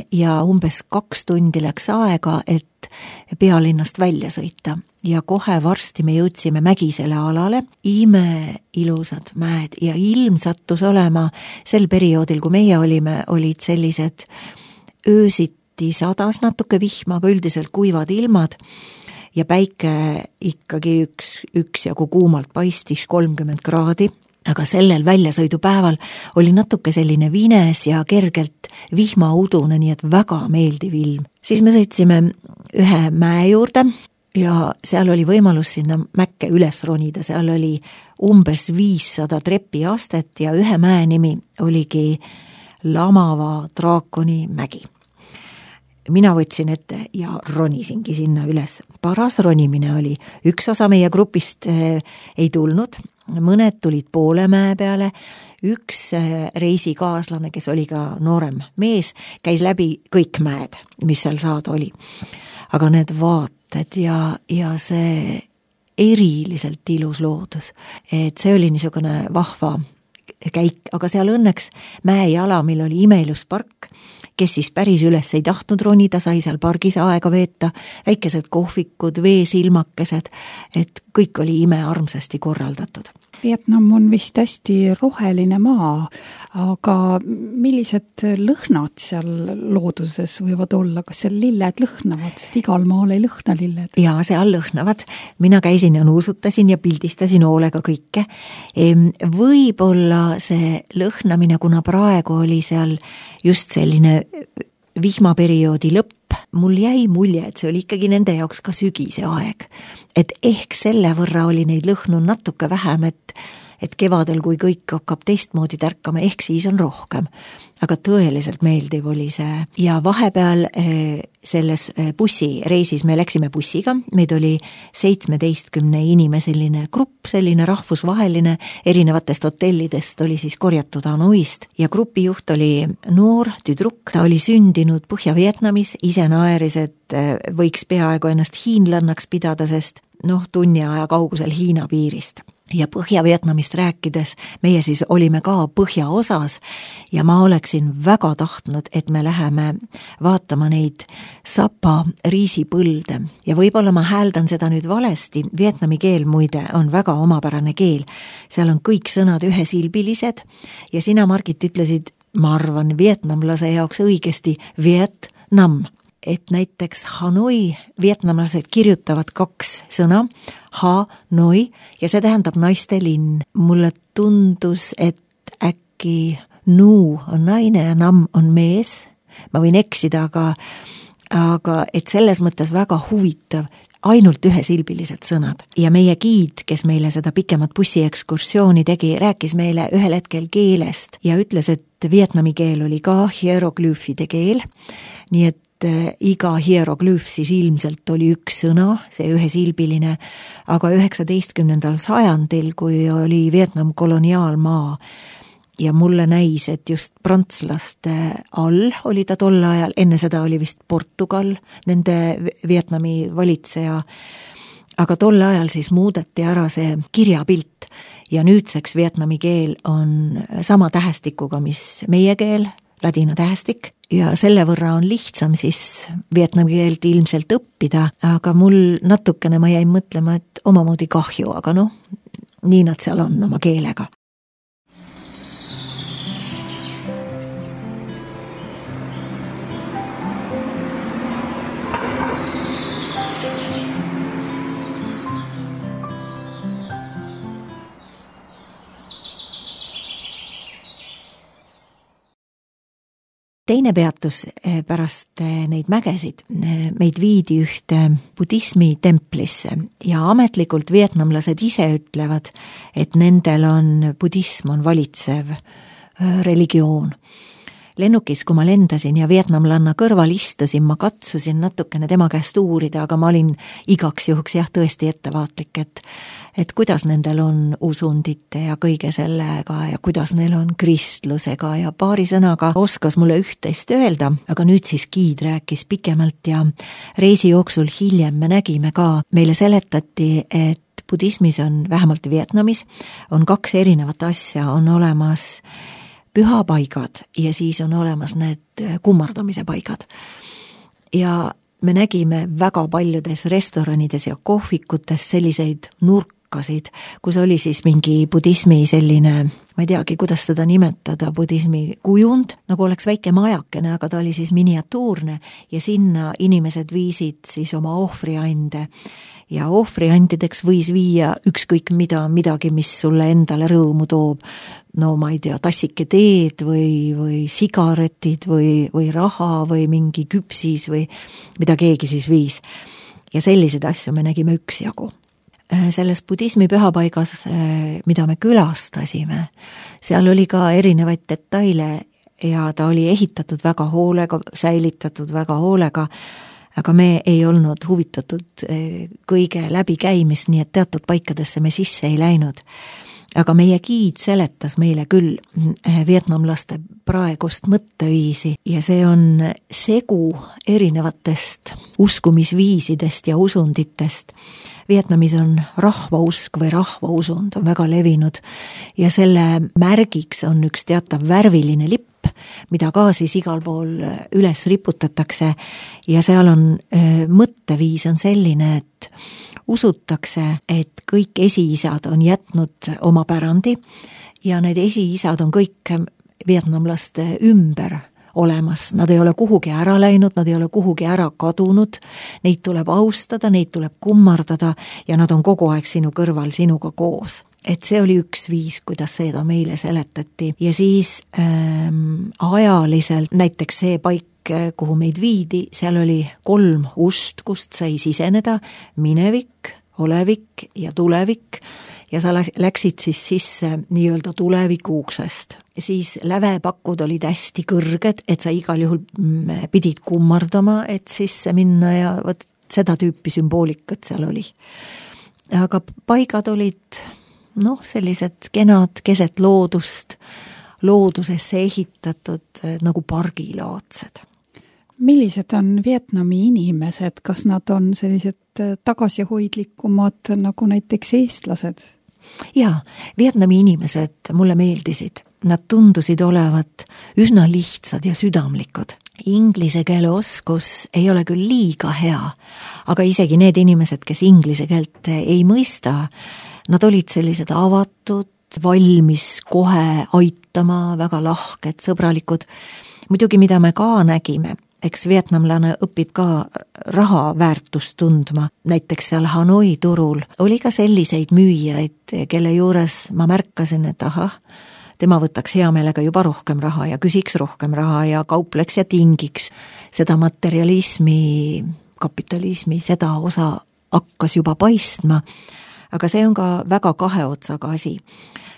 ja umbes kaks tundi läks aega, et pealinnast välja sõita ja kohe varsti me jõudsime mägisele alale, ime ilusad mäed ja ilm sattus olema sel perioodil, kui meie olime, olid sellised öösiti sadas natuke vihma, aga üldiselt kuivad ilmad ja päike ikkagi üks, üks jagu kuumalt paistis kolmkümmend kraadi. Aga sellel väljasõidupäeval oli natuke selline vines ja kergelt vihmaudune, nii et väga meeldiv ilm. Siis me sõitsime ühe mäe juurde ja seal oli võimalus sinna mäkke üles ronida, seal oli umbes viissada trepiastet ja ühe mäe nimi oligi Lamava draakoni mägi. Mina võtsin ette ja ronisingi sinna üles. Paras ronimine oli, üks osa meie grupist äh, ei tulnud, mõned tulid poole mäe peale, üks äh, reisikaaslane, kes oli ka noorem mees, käis läbi kõik mäed, mis seal saada oli. Aga need vaated ja, ja see eriliselt ilus loodus, et see oli niisugune vahva käik, aga seal õnneks mäejalamil oli imeilus park, kes siis päris üles ei tahtnud ronida, sai seal pargis aega veeta, väikesed kohvikud, veesilmakesed, et kõik oli imearmsasti korraldatud. Vietnam on vist hästi roheline maa, aga millised lõhnad seal looduses võivad olla? Kas seal lilled lõhnavad, sest igal maal ei lõhna lilled? Jaa, seal lõhnavad. Mina käisin ja nuusutasin ja pildistasin hoolega kõike. Võib-olla see lõhnamine, kuna praegu oli seal just selline vihmaperioodi lõpp, mul jäi mulje, et see oli ikkagi nende jaoks ka sügise aeg. Et ehk selle võrra oli neid lõhnu natuke vähem, et, et kevadel, kui kõik hakkab teistmoodi tärkama, ehk siis on rohkem. Aga tõeliselt meeldiv oli see. Ja vahepeal selles bussireisis me läksime bussiga, meid oli seitsmeteistkümne inimeseline grupp, selline rahvusvaheline, erinevatest hotellidest oli siis korjatud Hanoist ja grupijuht oli noor tüdruk, ta oli sündinud Põhja-Vietnamis, ise naeris, et võiks peaaegu ennast hiinlannaks pidada, sest noh, tunni aja kaugusel Hiina piirist. Ja Põhja-Vietnamist rääkides, meie siis olime ka põhjaosas ja ma oleksin väga tahtnud, et me läheme vaatama neid Sapa riisipõlde. Ja võib-olla ma hääldan seda nüüd valesti, vietnami keel muide on väga omapärane keel. Seal on kõik sõnad ühesilbilised ja sina, Margit, ütlesid, ma arvan, vietnamlase jaoks õigesti Vietnam. Et näiteks Hanoi, vietnamlased kirjutavad kaks sõna, Hanoi, ja see tähendab naiste linn. Mulle tundus, et äkki Nu on naine ja Nam on mees. Ma võin eksida, aga, aga et selles mõttes väga huvitav, ainult ühesilbilised sõnad. Ja meie giid, kes meile seda pikemat bussiekskursiooni tegi, rääkis meile ühel hetkel keelest ja ütles, et vietnami keel oli ka hieroglüüfide keel, nii et iga hieroglüüf siis ilmselt oli üks sõna, see ühesilbiline, aga üheksateistkümnendal sajandil, kui oli Vietnam koloniaalmaa ja mulle näis, et just prantslaste all oli ta tol ajal, enne seda oli vist Portugal, nende Vietnami valitseja, aga tol ajal siis muudeti ära see kirjapilt ja nüüdseks vietnami keel on sama tähestikuga, mis meie keel, ladina tähestik, ja selle võrra on lihtsam siis vietnami keelt ilmselt õppida, aga mul natukene ma jäin mõtlema, et omamoodi kahju, aga noh, nii nad seal on oma keelega. Teine peatus pärast neid mägesid meid viidi ühte budismi templisse ja ametlikult vietnamlased ise ütlevad, et nendel on budism on valitsev religioon. Lennukis, kui ma lendasin ja vietnamlanna kõrval istusin, ma katsusin natukene tema käest uurida, aga ma olin igaks juhuks jah tõesti ettevaatlik, et, et kuidas nendel on usundite ja kõige sellega ja kuidas neil on kristlusega ja paari sõnaga oskas mulle üht-teist öelda, aga nüüd siis giid rääkis pikemalt ja reisi jooksul hiljem me nägime ka, meile seletati, et budismis on vähemalt Vietnamis on kaks erinevat asja, on olemas pühapaigad ja siis on olemas need kummardamise paigad. Ja me nägime väga paljudes restoranides ja kohvikutes selliseid nurkasid, kus oli siis mingi budismi selline, ma ei teagi, kuidas seda nimetada, budismi kujund, nagu oleks väike majakene, aga ta oli siis miniatuurne ja sinna inimesed viisid siis oma ohvriande ja ohvriandideks võis viia ükskõik mida, midagi, mis sulle endale rõõmu toob. No ma ei tea, tassike teed või, või sigaretid või, või raha või mingi küpsis või mida keegi siis viis. ja selliseid asju me nägime üksjagu. Selles budismi pühapaigas, mida me külastasime, seal oli ka erinevaid detaile ja ta oli ehitatud väga hoolega, säilitatud väga hoolega, aga me ei olnud huvitatud kõige läbikäimist, nii et teatud paikadesse me sisse ei läinud. Aga meie giid seletas meile küll vietnamlaste praegust mõtteviisi ja see on segu erinevatest uskumisviisidest ja usunditest. Vietnamis on rahvausk või rahvausund on väga levinud ja selle märgiks on üks teatav värviline lipp, mida ka siis igal pool üles riputatakse ja seal on mõtteviis on selline, et usutakse, et kõik esiisad on jätnud oma pärandi ja need esiisad on kõik vietnamlaste ümber olemas. Nad ei ole kuhugi ära läinud, nad ei ole kuhugi ära kadunud, neid tuleb austada, neid tuleb kummardada ja nad on kogu aeg sinu kõrval, sinuga koos. Et see oli üks viis, kuidas seda meile seletati ja siis ähm, ajaliselt näiteks see paik, kuhu meid viidi, seal oli kolm ust, kust sai siseneda, minevik, olevik ja tulevik ja sa läksid siis sisse nii-öelda tuleviku uksest. Siis lävepakud olid hästi kõrged, et sa igal juhul pidid kummardama, et sisse minna ja võt, seda tüüpi sümboolikat seal oli. Aga paigad olid noh, sellised kenad keset loodust, loodusesse ehitatud nagu pargilaadsed. Millised on Vietnami inimesed, kas nad on sellised tagasihoidlikumad nagu näiteks eestlased? Jaa, Vietnami inimesed mulle meeldisid. Nad tundusid olevat üsna lihtsad ja südamlikud. Inglise keele oskus ei ole küll liiga hea, aga isegi need inimesed, kes inglise keelt ei mõista, nad olid sellised avatud, valmis kohe aitama, väga lahked, sõbralikud. Muidugi, mida me ka nägime, eks vietnamlane õpib ka raha väärtust tundma. Näiteks seal Hanoi turul oli ka selliseid müüjaid, kelle juures ma märkasin, et aha, tema võtaks hea meelega juba rohkem raha ja küsiks rohkem raha ja kaupleks ja tingiks. Seda materialismi, kapitalismi, seda osa hakkas juba paistma. Aga see on ka väga kahe otsaga asi,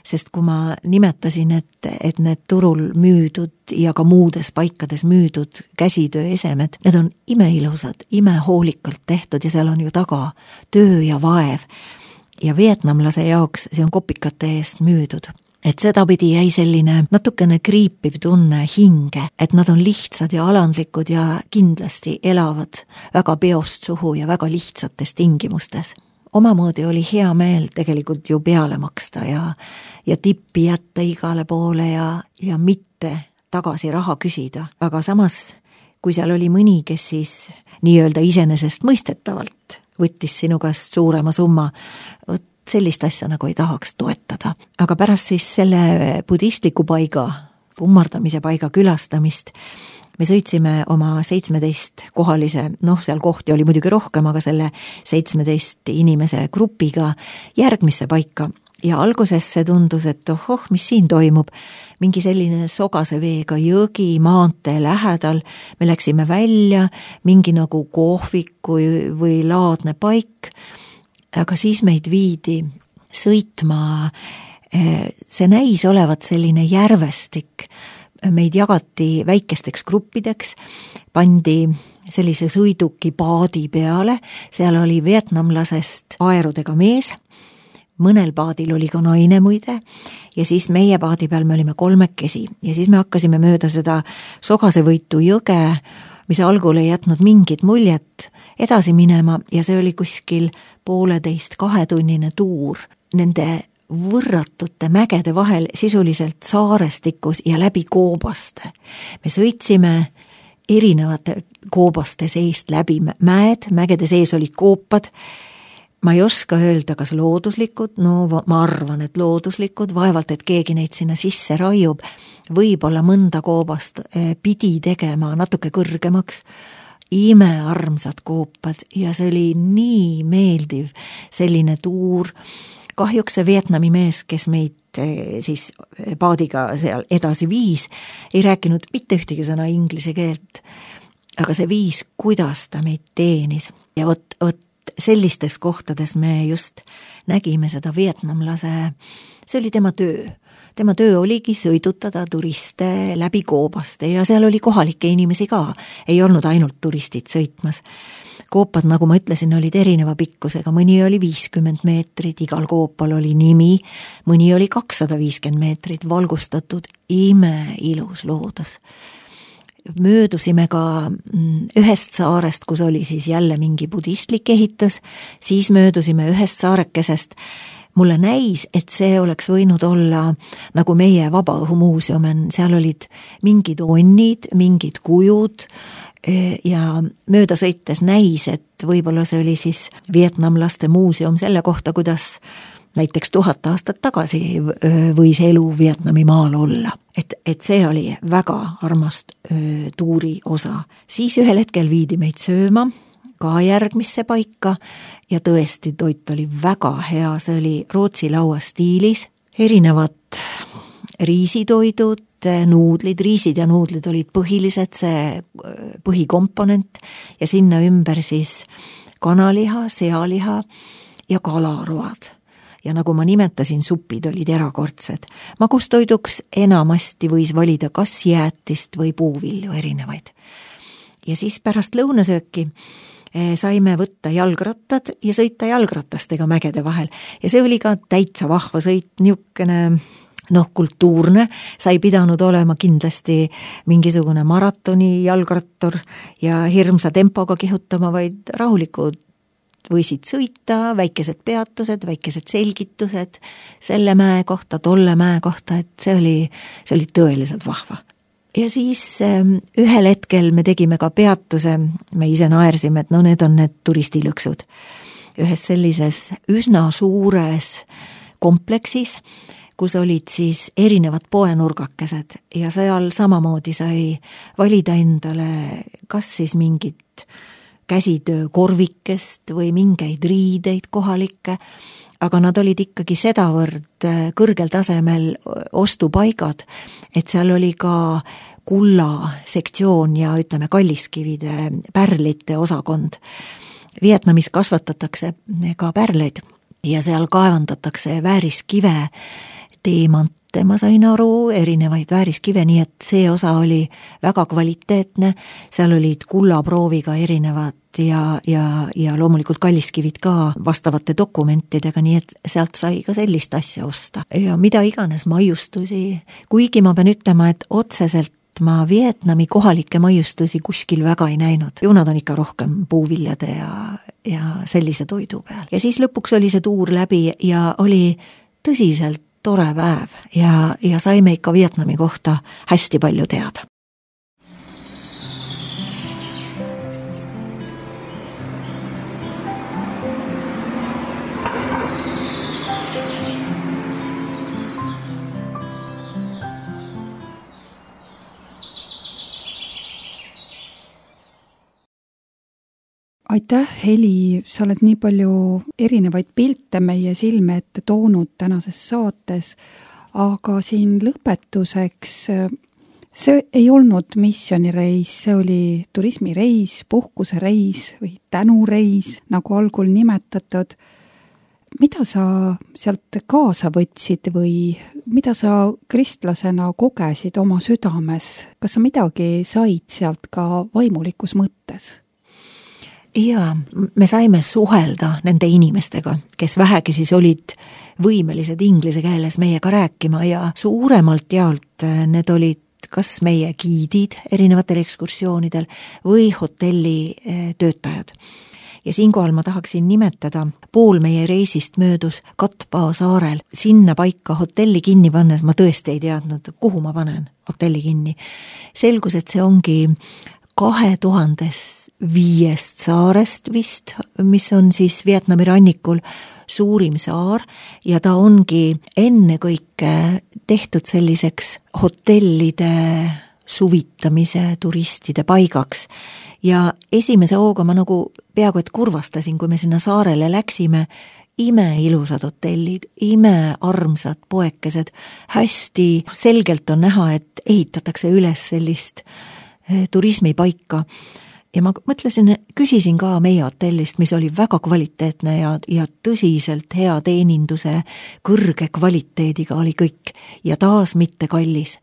sest kui ma nimetasin, et, et need turul müüdud ja ka muudes paikades müüdud käsitöö esemed, need on imeilusad, imehoolikalt tehtud ja seal on ju taga töö ja vaev. Ja vietnamlase jaoks see on kopikate eest müüdud. Et sedapidi jäi selline natukene kriipiv tunne hinge, et nad on lihtsad ja alandlikud ja kindlasti elavad väga peost suhu ja väga lihtsates tingimustes. Omamoodi oli hea meel tegelikult ju peale maksta ja, ja tippi jätta igale poole ja, ja mitte tagasi raha küsida. Aga samas, kui seal oli mõni, kes siis nii-öelda iseenesest mõistetavalt võttis sinu käest suurema summa, võt sellist asja nagu ei tahaks toetada. Aga pärast siis selle budistliku paiga, ummardamise paiga külastamist, me sõitsime oma seitsmeteist kohalise, noh seal kohti oli muidugi rohkem, aga selle seitsmeteist inimese grupiga järgmisse paika. Ja alguses see tundus, et ohoh, mis siin toimub, mingi selline sogase veega jõgi maantee lähedal, me läksime välja, mingi nagu kohvik või laadne paik, aga siis meid viidi sõitma, see näis olevat selline järvestik, meid jagati väikesteks gruppideks, pandi sellise sõiduki paadi peale, seal oli vietnamlasest aerudega mees, mõnel paadil oli ka naine muide ja siis meie paadi peal me olime kolmekesi ja siis me hakkasime mööda seda Sogasevõitu jõge, mis algul ei jätnud mingit muljet, edasi minema ja see oli kuskil pooleteist kahetunnine tuur nende võrratute mägede vahel sisuliselt saarestikus ja läbi koobaste. Me sõitsime erinevate koobaste seest läbi mäed, mägede sees olid koopad. Ma ei oska öelda, kas looduslikud, no ma arvan, et looduslikud, vaevalt, et keegi neid sinna sisse raiub, võib-olla mõnda koobast pidi tegema natuke kõrgemaks, imearmsad koopad ja see oli nii meeldiv selline tuur. Kahjuks see Vietnami mees, kes meid siis paadiga seal edasi viis, ei rääkinud mitte ühtegi sõna inglise keelt, aga see viis, kuidas ta meid teenis. Ja võt, võt sellistes kohtades me just nägime seda vietnamlase, see oli tema töö. Tema töö oligi sõidutada turiste läbi Koobaste ja seal oli kohalikke inimesi ka, ei olnud ainult turistid sõitmas. Koopad, nagu ma ütlesin, olid erineva pikkusega, mõni oli viiskümmend meetrit, igal koopal oli nimi, mõni oli kakssada viiskümmend meetrit, valgustatud, imeilus loodus. Möödusime ka ühest saarest, kus oli siis jälle mingi budistlik ehitus, siis möödusime ühest saarekesest. Mulle näis, et see oleks võinud olla nagu meie Vabaõhumuuseum, seal olid mingid onnid, mingid kujud ja mööda sõites näis, et võib-olla see oli siis vietnamlaste muuseum selle kohta, kuidas näiteks tuhat aastat tagasi võis elu Vietnami maal olla. Et, et see oli väga armas tuuri osa. Siis ühel hetkel viidi meid sööma, ka järgmisse paika ja tõesti toit oli väga hea, see oli Rootsi laua stiilis, erinevad riisitoidud, nuudlid, riisid ja nuudlid olid põhilised, see põhikomponent ja sinna ümber siis kanaliha, sealiha ja kalaroad. Ja nagu ma nimetasin, supid olid erakordsed. Magustoiduks enamasti võis valida kas jäätist või puuvilju erinevaid. Ja siis pärast lõunasööki saime võtta jalgrattad ja sõita jalgratastega mägede vahel. Ja see oli ka täitsa vahva sõit, niukene noh, kultuurne, sa ei pidanud olema kindlasti mingisugune maratoni jalgrattur ja hirmsa tempoga kihutama, vaid rahulikud võisid sõita, väikesed peatused, väikesed selgitused selle mäe kohta, tolle mäe kohta, et see oli, see oli tõeliselt vahva. Ja siis ühel hetkel me tegime ka peatuse, me ise naersime, et no need on need turistilõksud. Ühes sellises üsna suures kompleksis, kus olid siis erinevad poenurgakesed ja seal samamoodi sai valida endale kas siis mingit käsitöö korvikest või mingeid riideid kohalikke, aga nad olid ikkagi sedavõrd kõrgel tasemel ostupaigad, et seal oli ka kulla sektsioon ja ütleme kalliskivide, pärlite osakond. Vietnamis kasvatatakse ka pärleid ja seal kaevandatakse vääriskive, teemante, ma sain aru, erinevaid vääriskive, nii et see osa oli väga kvaliteetne, seal olid kullaprooviga erinevad ja, ja, ja loomulikult kalliskivid ka vastavate dokumentidega, nii et sealt sai ka sellist asja osta. Ja mida iganes maiustusi, kuigi ma pean ütlema, et otseselt ma Vietnami kohalikke maiustusi kuskil väga ei näinud. Ju nad on ikka rohkem puuviljade ja, ja sellise toidu peal. Ja siis lõpuks oli see tuur läbi ja oli tõsiselt tore päev ja, ja saime ikka Vietnami kohta hästi palju teada. Aitäh, Heli, sa oled nii palju erinevaid pilte meie silme ette toonud tänases saates, aga siin lõpetuseks, see ei olnud missioonireis, see oli turismireis, puhkusereis või tänureis, nagu algul nimetatud. Mida sa sealt kaasa võtsid või mida sa kristlasena kogesid oma südames? Kas sa midagi said sealt ka vaimulikus mõttes? Ja me saime suhelda nende inimestega, kes vähegi siis olid võimelised inglise keeles meiega rääkima ja suuremalt jaolt need olid kas meie giidid erinevatel ekskursioonidel või hotelli töötajad. Ja siinkohal ma tahaksin nimetada, pool meie reisist möödus Katpaa saarel, sinna paika hotelli kinni pannes, ma tõesti ei teadnud, kuhu ma panen hotelli kinni. Selgus, et see ongi kahe tuhandes viiest saarest vist, mis on siis Vietnami rannikul suurim saar ja ta ongi ennekõike tehtud selliseks hotellide suvitamise turistide paigaks. Ja esimese hooga ma nagu peaaegu et kurvastasin, kui me sinna saarele läksime, ime ilusad hotellid, ime armsad poekesed, hästi selgelt on näha, et ehitatakse üles sellist turismipaika ja ma mõtlesin, küsisin ka meie hotellist, mis oli väga kvaliteetne ja, ja tõsiselt hea teeninduse, kõrge kvaliteediga oli kõik ja taas mitte kallis.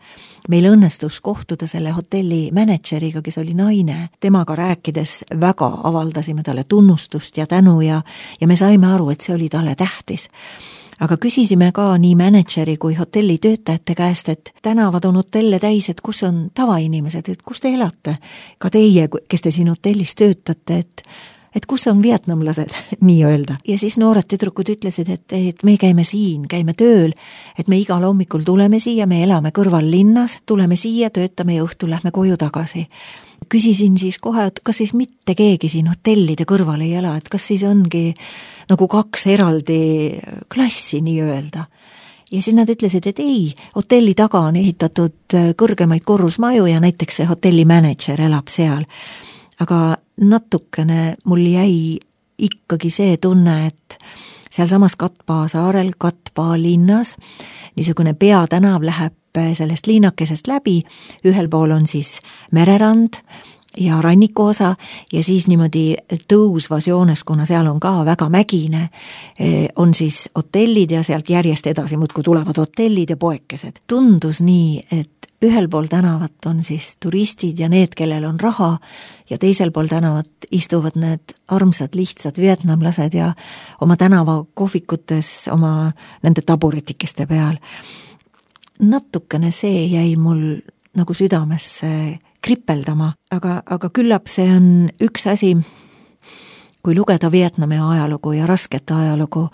Meil õnnestus kohtuda selle hotelli mänedžeriga, kes oli naine. Temaga rääkides väga avaldasime talle tunnustust ja tänu ja, ja me saime aru, et see oli talle tähtis. Aga küsisime ka nii mänedžeri kui hotelli töötajate käest, et tänavad on hotelle täis, et kus on tavainimesed, et kus te elate? Ka teie, kes te siin hotellis töötate, et, et kus on vietnamlased, nii öelda. Ja siis noored tüdrukud ütlesid, et, et me käime siin, käime tööl, et me igal hommikul tuleme siia, me elame kõrval linnas, tuleme siia, töötame ja õhtul lähme koju tagasi. Küsisin siis kohe, et kas siis mitte keegi siin hotellide kõrval ei ela, et kas siis ongi nagu kaks eraldi klassi nii öelda. Ja siis nad ütlesid, et ei, hotelli taga on ehitatud kõrgemaid korrusmaju ja näiteks see hotelli mänedžer elab seal. Aga natukene mul jäi ikkagi see tunne, et seal samas Katbaa saarel, Katbaa linnas, niisugune peatänav läheb sellest liinakesest läbi, ühel pool on siis mererand ja ranniku osa ja siis niimoodi tõusvas joones, kuna seal on ka väga mägine, on siis hotellid ja sealt järjest edasi muudkui tulevad hotellid ja poekesed. Tundus nii, et ühel pool tänavat on siis turistid ja need, kellel on raha ja teisel pool tänavat istuvad need armsad, lihtsad vietnamlased ja oma tänava kohvikutes oma nende taburetikeste peal. Natukene see jäi mul nagu südamesse kripeldama, aga, aga küllap see on üks asi, kui lugeda Vietnami ajalugu ja rasket ajalugu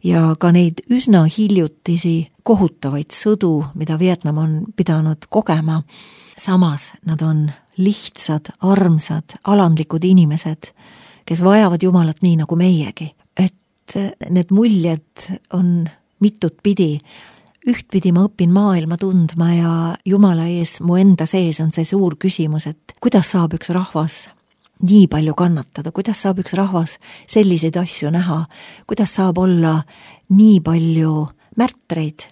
ja ka neid üsna hiljutisi kohutavaid sõdu, mida Vietnam on pidanud kogema. Samas nad on lihtsad, armsad, alandlikud inimesed, kes vajavad Jumalat nii nagu meiegi. Et need muljed on mitut pidi. Ühtpidi ma õpin maailma tundma ja Jumala ees mu enda sees on see suur küsimus, et kuidas saab üks rahvas nii palju kannatada, kuidas saab üks rahvas selliseid asju näha, kuidas saab olla nii palju märtreid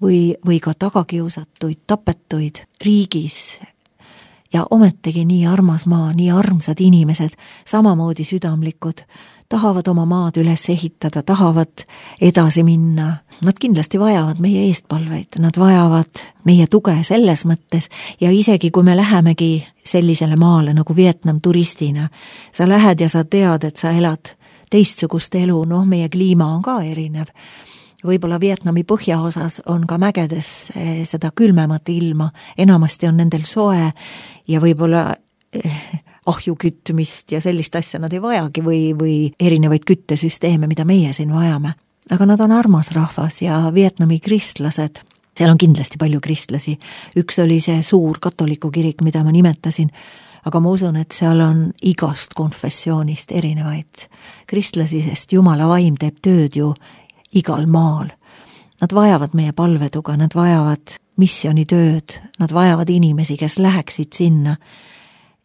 või, või ka tagakiusatuid, tapetuid riigis ja ometegi nii armas maa, nii armsad inimesed, samamoodi südamlikud, tahavad oma maad üles ehitada, tahavad edasi minna. Nad kindlasti vajavad meie eestpalveid, nad vajavad meie tuge selles mõttes ja isegi kui me lähemegi sellisele maale nagu Vietnam turistina, sa lähed ja sa tead, et sa elad teistsugust elu, noh, meie kliima on ka erinev. Võib-olla Vietnami põhjaosas on ka mägedes seda külmemat ilma, enamasti on nendel soe ja võib-olla ahju kütmist ja sellist asja nad ei vajagi või, või erinevaid küttesüsteeme, mida meie siin vajame. Aga nad on armas rahvas ja Vietnami kristlased, seal on kindlasti palju kristlasi. Üks oli see suur katoliku kirik, mida ma nimetasin, aga ma usun, et seal on igast konfessioonist erinevaid kristlasi, sest Jumala vaim teeb tööd ju igal maal. Nad vajavad meie palvetuga, nad vajavad missionitööd, nad vajavad inimesi, kes läheksid sinna.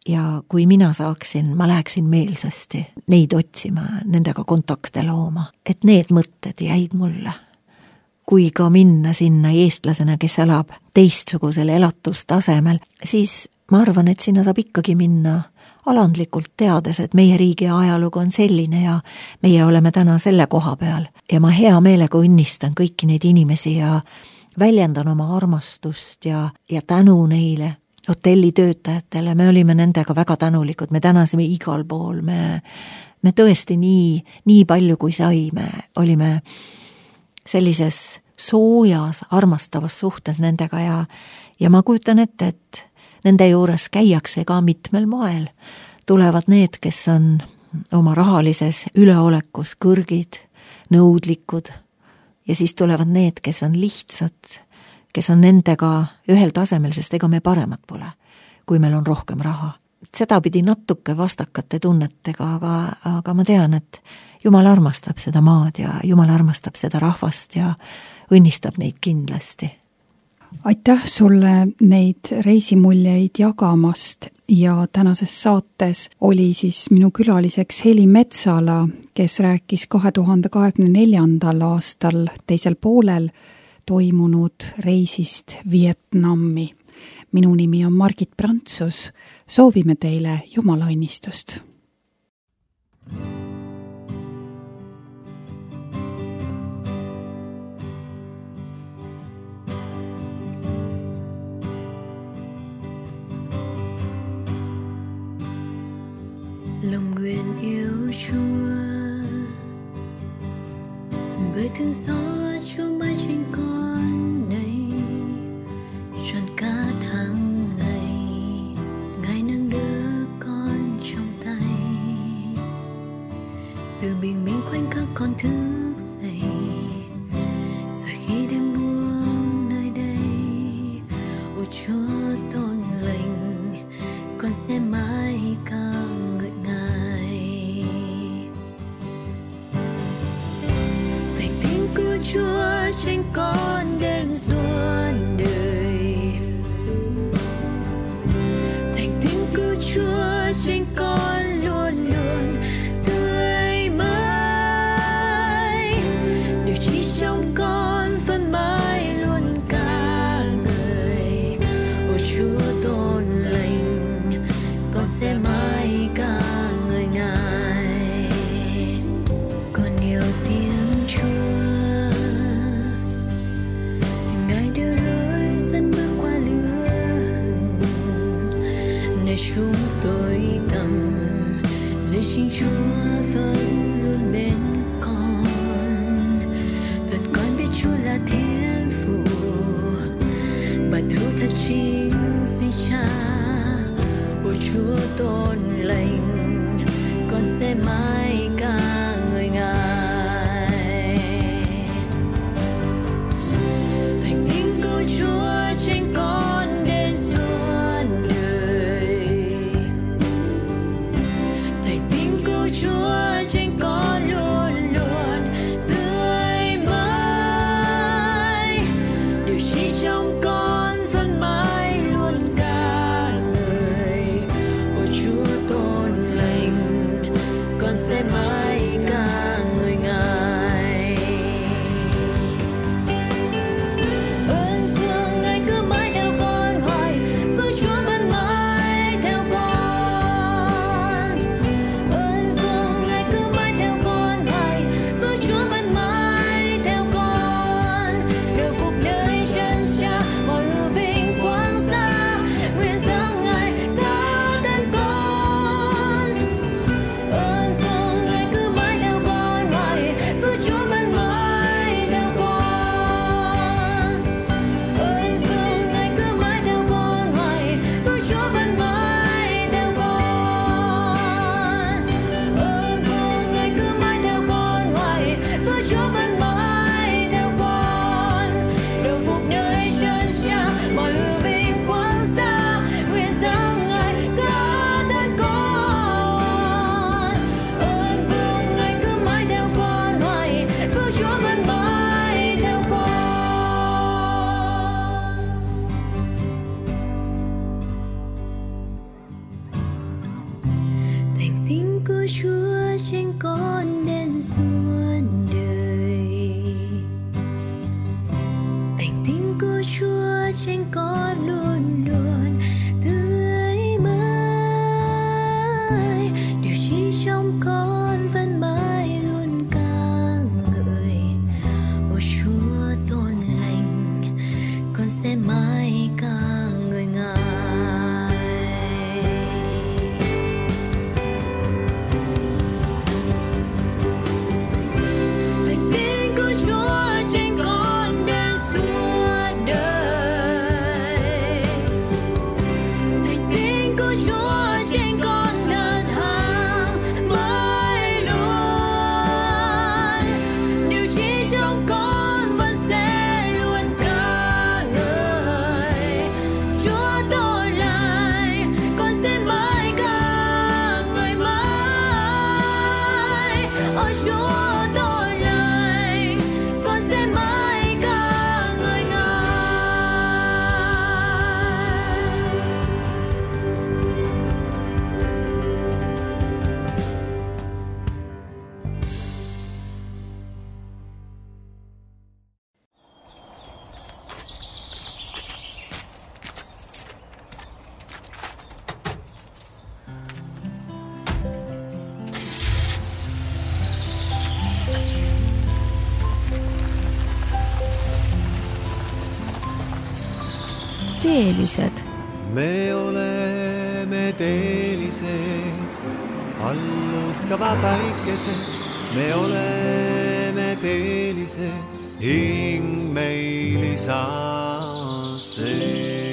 Ja kui mina saaksin, ma läheksin meelsasti neid otsima, nendega kontakte looma, et need mõtted jäid mulle. Kui ka minna sinna eestlasena, kes elab teistsugusel elatustasemel, siis ma arvan, et sinna saab ikkagi minna alandlikult teades, et meie riigi ajalugu on selline ja meie oleme täna selle koha peal. Ja ma hea meelega õnnistan kõiki neid inimesi ja väljendan oma armastust ja, ja tänu neile hotelli töötajatele, me olime nendega väga tänulikud, me tänasime igal pool, me, me tõesti nii, nii palju kui saime, olime sellises soojas, armastavas suhtes nendega ja, ja ma kujutan ette, et nende juures käiakse ka mitmel moel. Tulevad need, kes on oma rahalises üleolekus kõrgid, nõudlikud ja siis tulevad need, kes on lihtsad, kes on nendega ühel tasemel, sest ega me paremad pole, kui meil on rohkem raha. Seda pidi natuke vastakate tunnetega, aga, aga ma tean, et Jumal armastab seda maad ja Jumal armastab seda rahvast ja õnnistab neid kindlasti. Aitäh sulle neid reisimuljeid jagamast ja tänases saates oli siis minu külaliseks Heli Metsala, kes rääkis kahe tuhande kahekümne neljandal aastal teisel poolel toimunud reisist Vietnami. minu nimi on Margit Prantsus. Soovime teile Jumala õnnistust. Lòng nguyện yêu Chúa bởi thương xót Chúa mãi trên con này, trọn cả tháng ngày Ngài nâng đỡ con trong tay. Từ bình minh khoảnh khắc con thức dậy, rồi khi đêm buông nơi đây, ôi Chúa tôn lành, con sẽ mãi ca ngợi Ngài. Thành tiếng của Chúa trên con đến suốt đời, thành tiếng của Chúa trên con luôn luôn tươi mãi, điều chỉ trong con vẫn mãi luôn ca ngợi. Ôi Chúa tôn lành, con sẽ mãi ca ngợi Ngài. Con yêu tiếng Chúa, Ngài đưa lối dẫn bước qua lửa hừng, nơi chúng tôi tầm dưới chính Chúa vẫn luôn bên con. Thật con biết Chúa là Thiên父, bạn hữu thật chính duy Cha. Ôi Chúa tôn lành, con sẽ mãi ca ngợi Ngài. Thành tiếng của Chúa trên con đến suốt đời, thành tiếng của Chúa trên con luôn luôn tươi mãi, điều chỉ trong con vẫn mãi luôn ca ngợi. Ôi Chúa tôn lành, con sẽ teelised. me oleme teelised, allustava päikesed, me oleme teelised, hing meil isa see.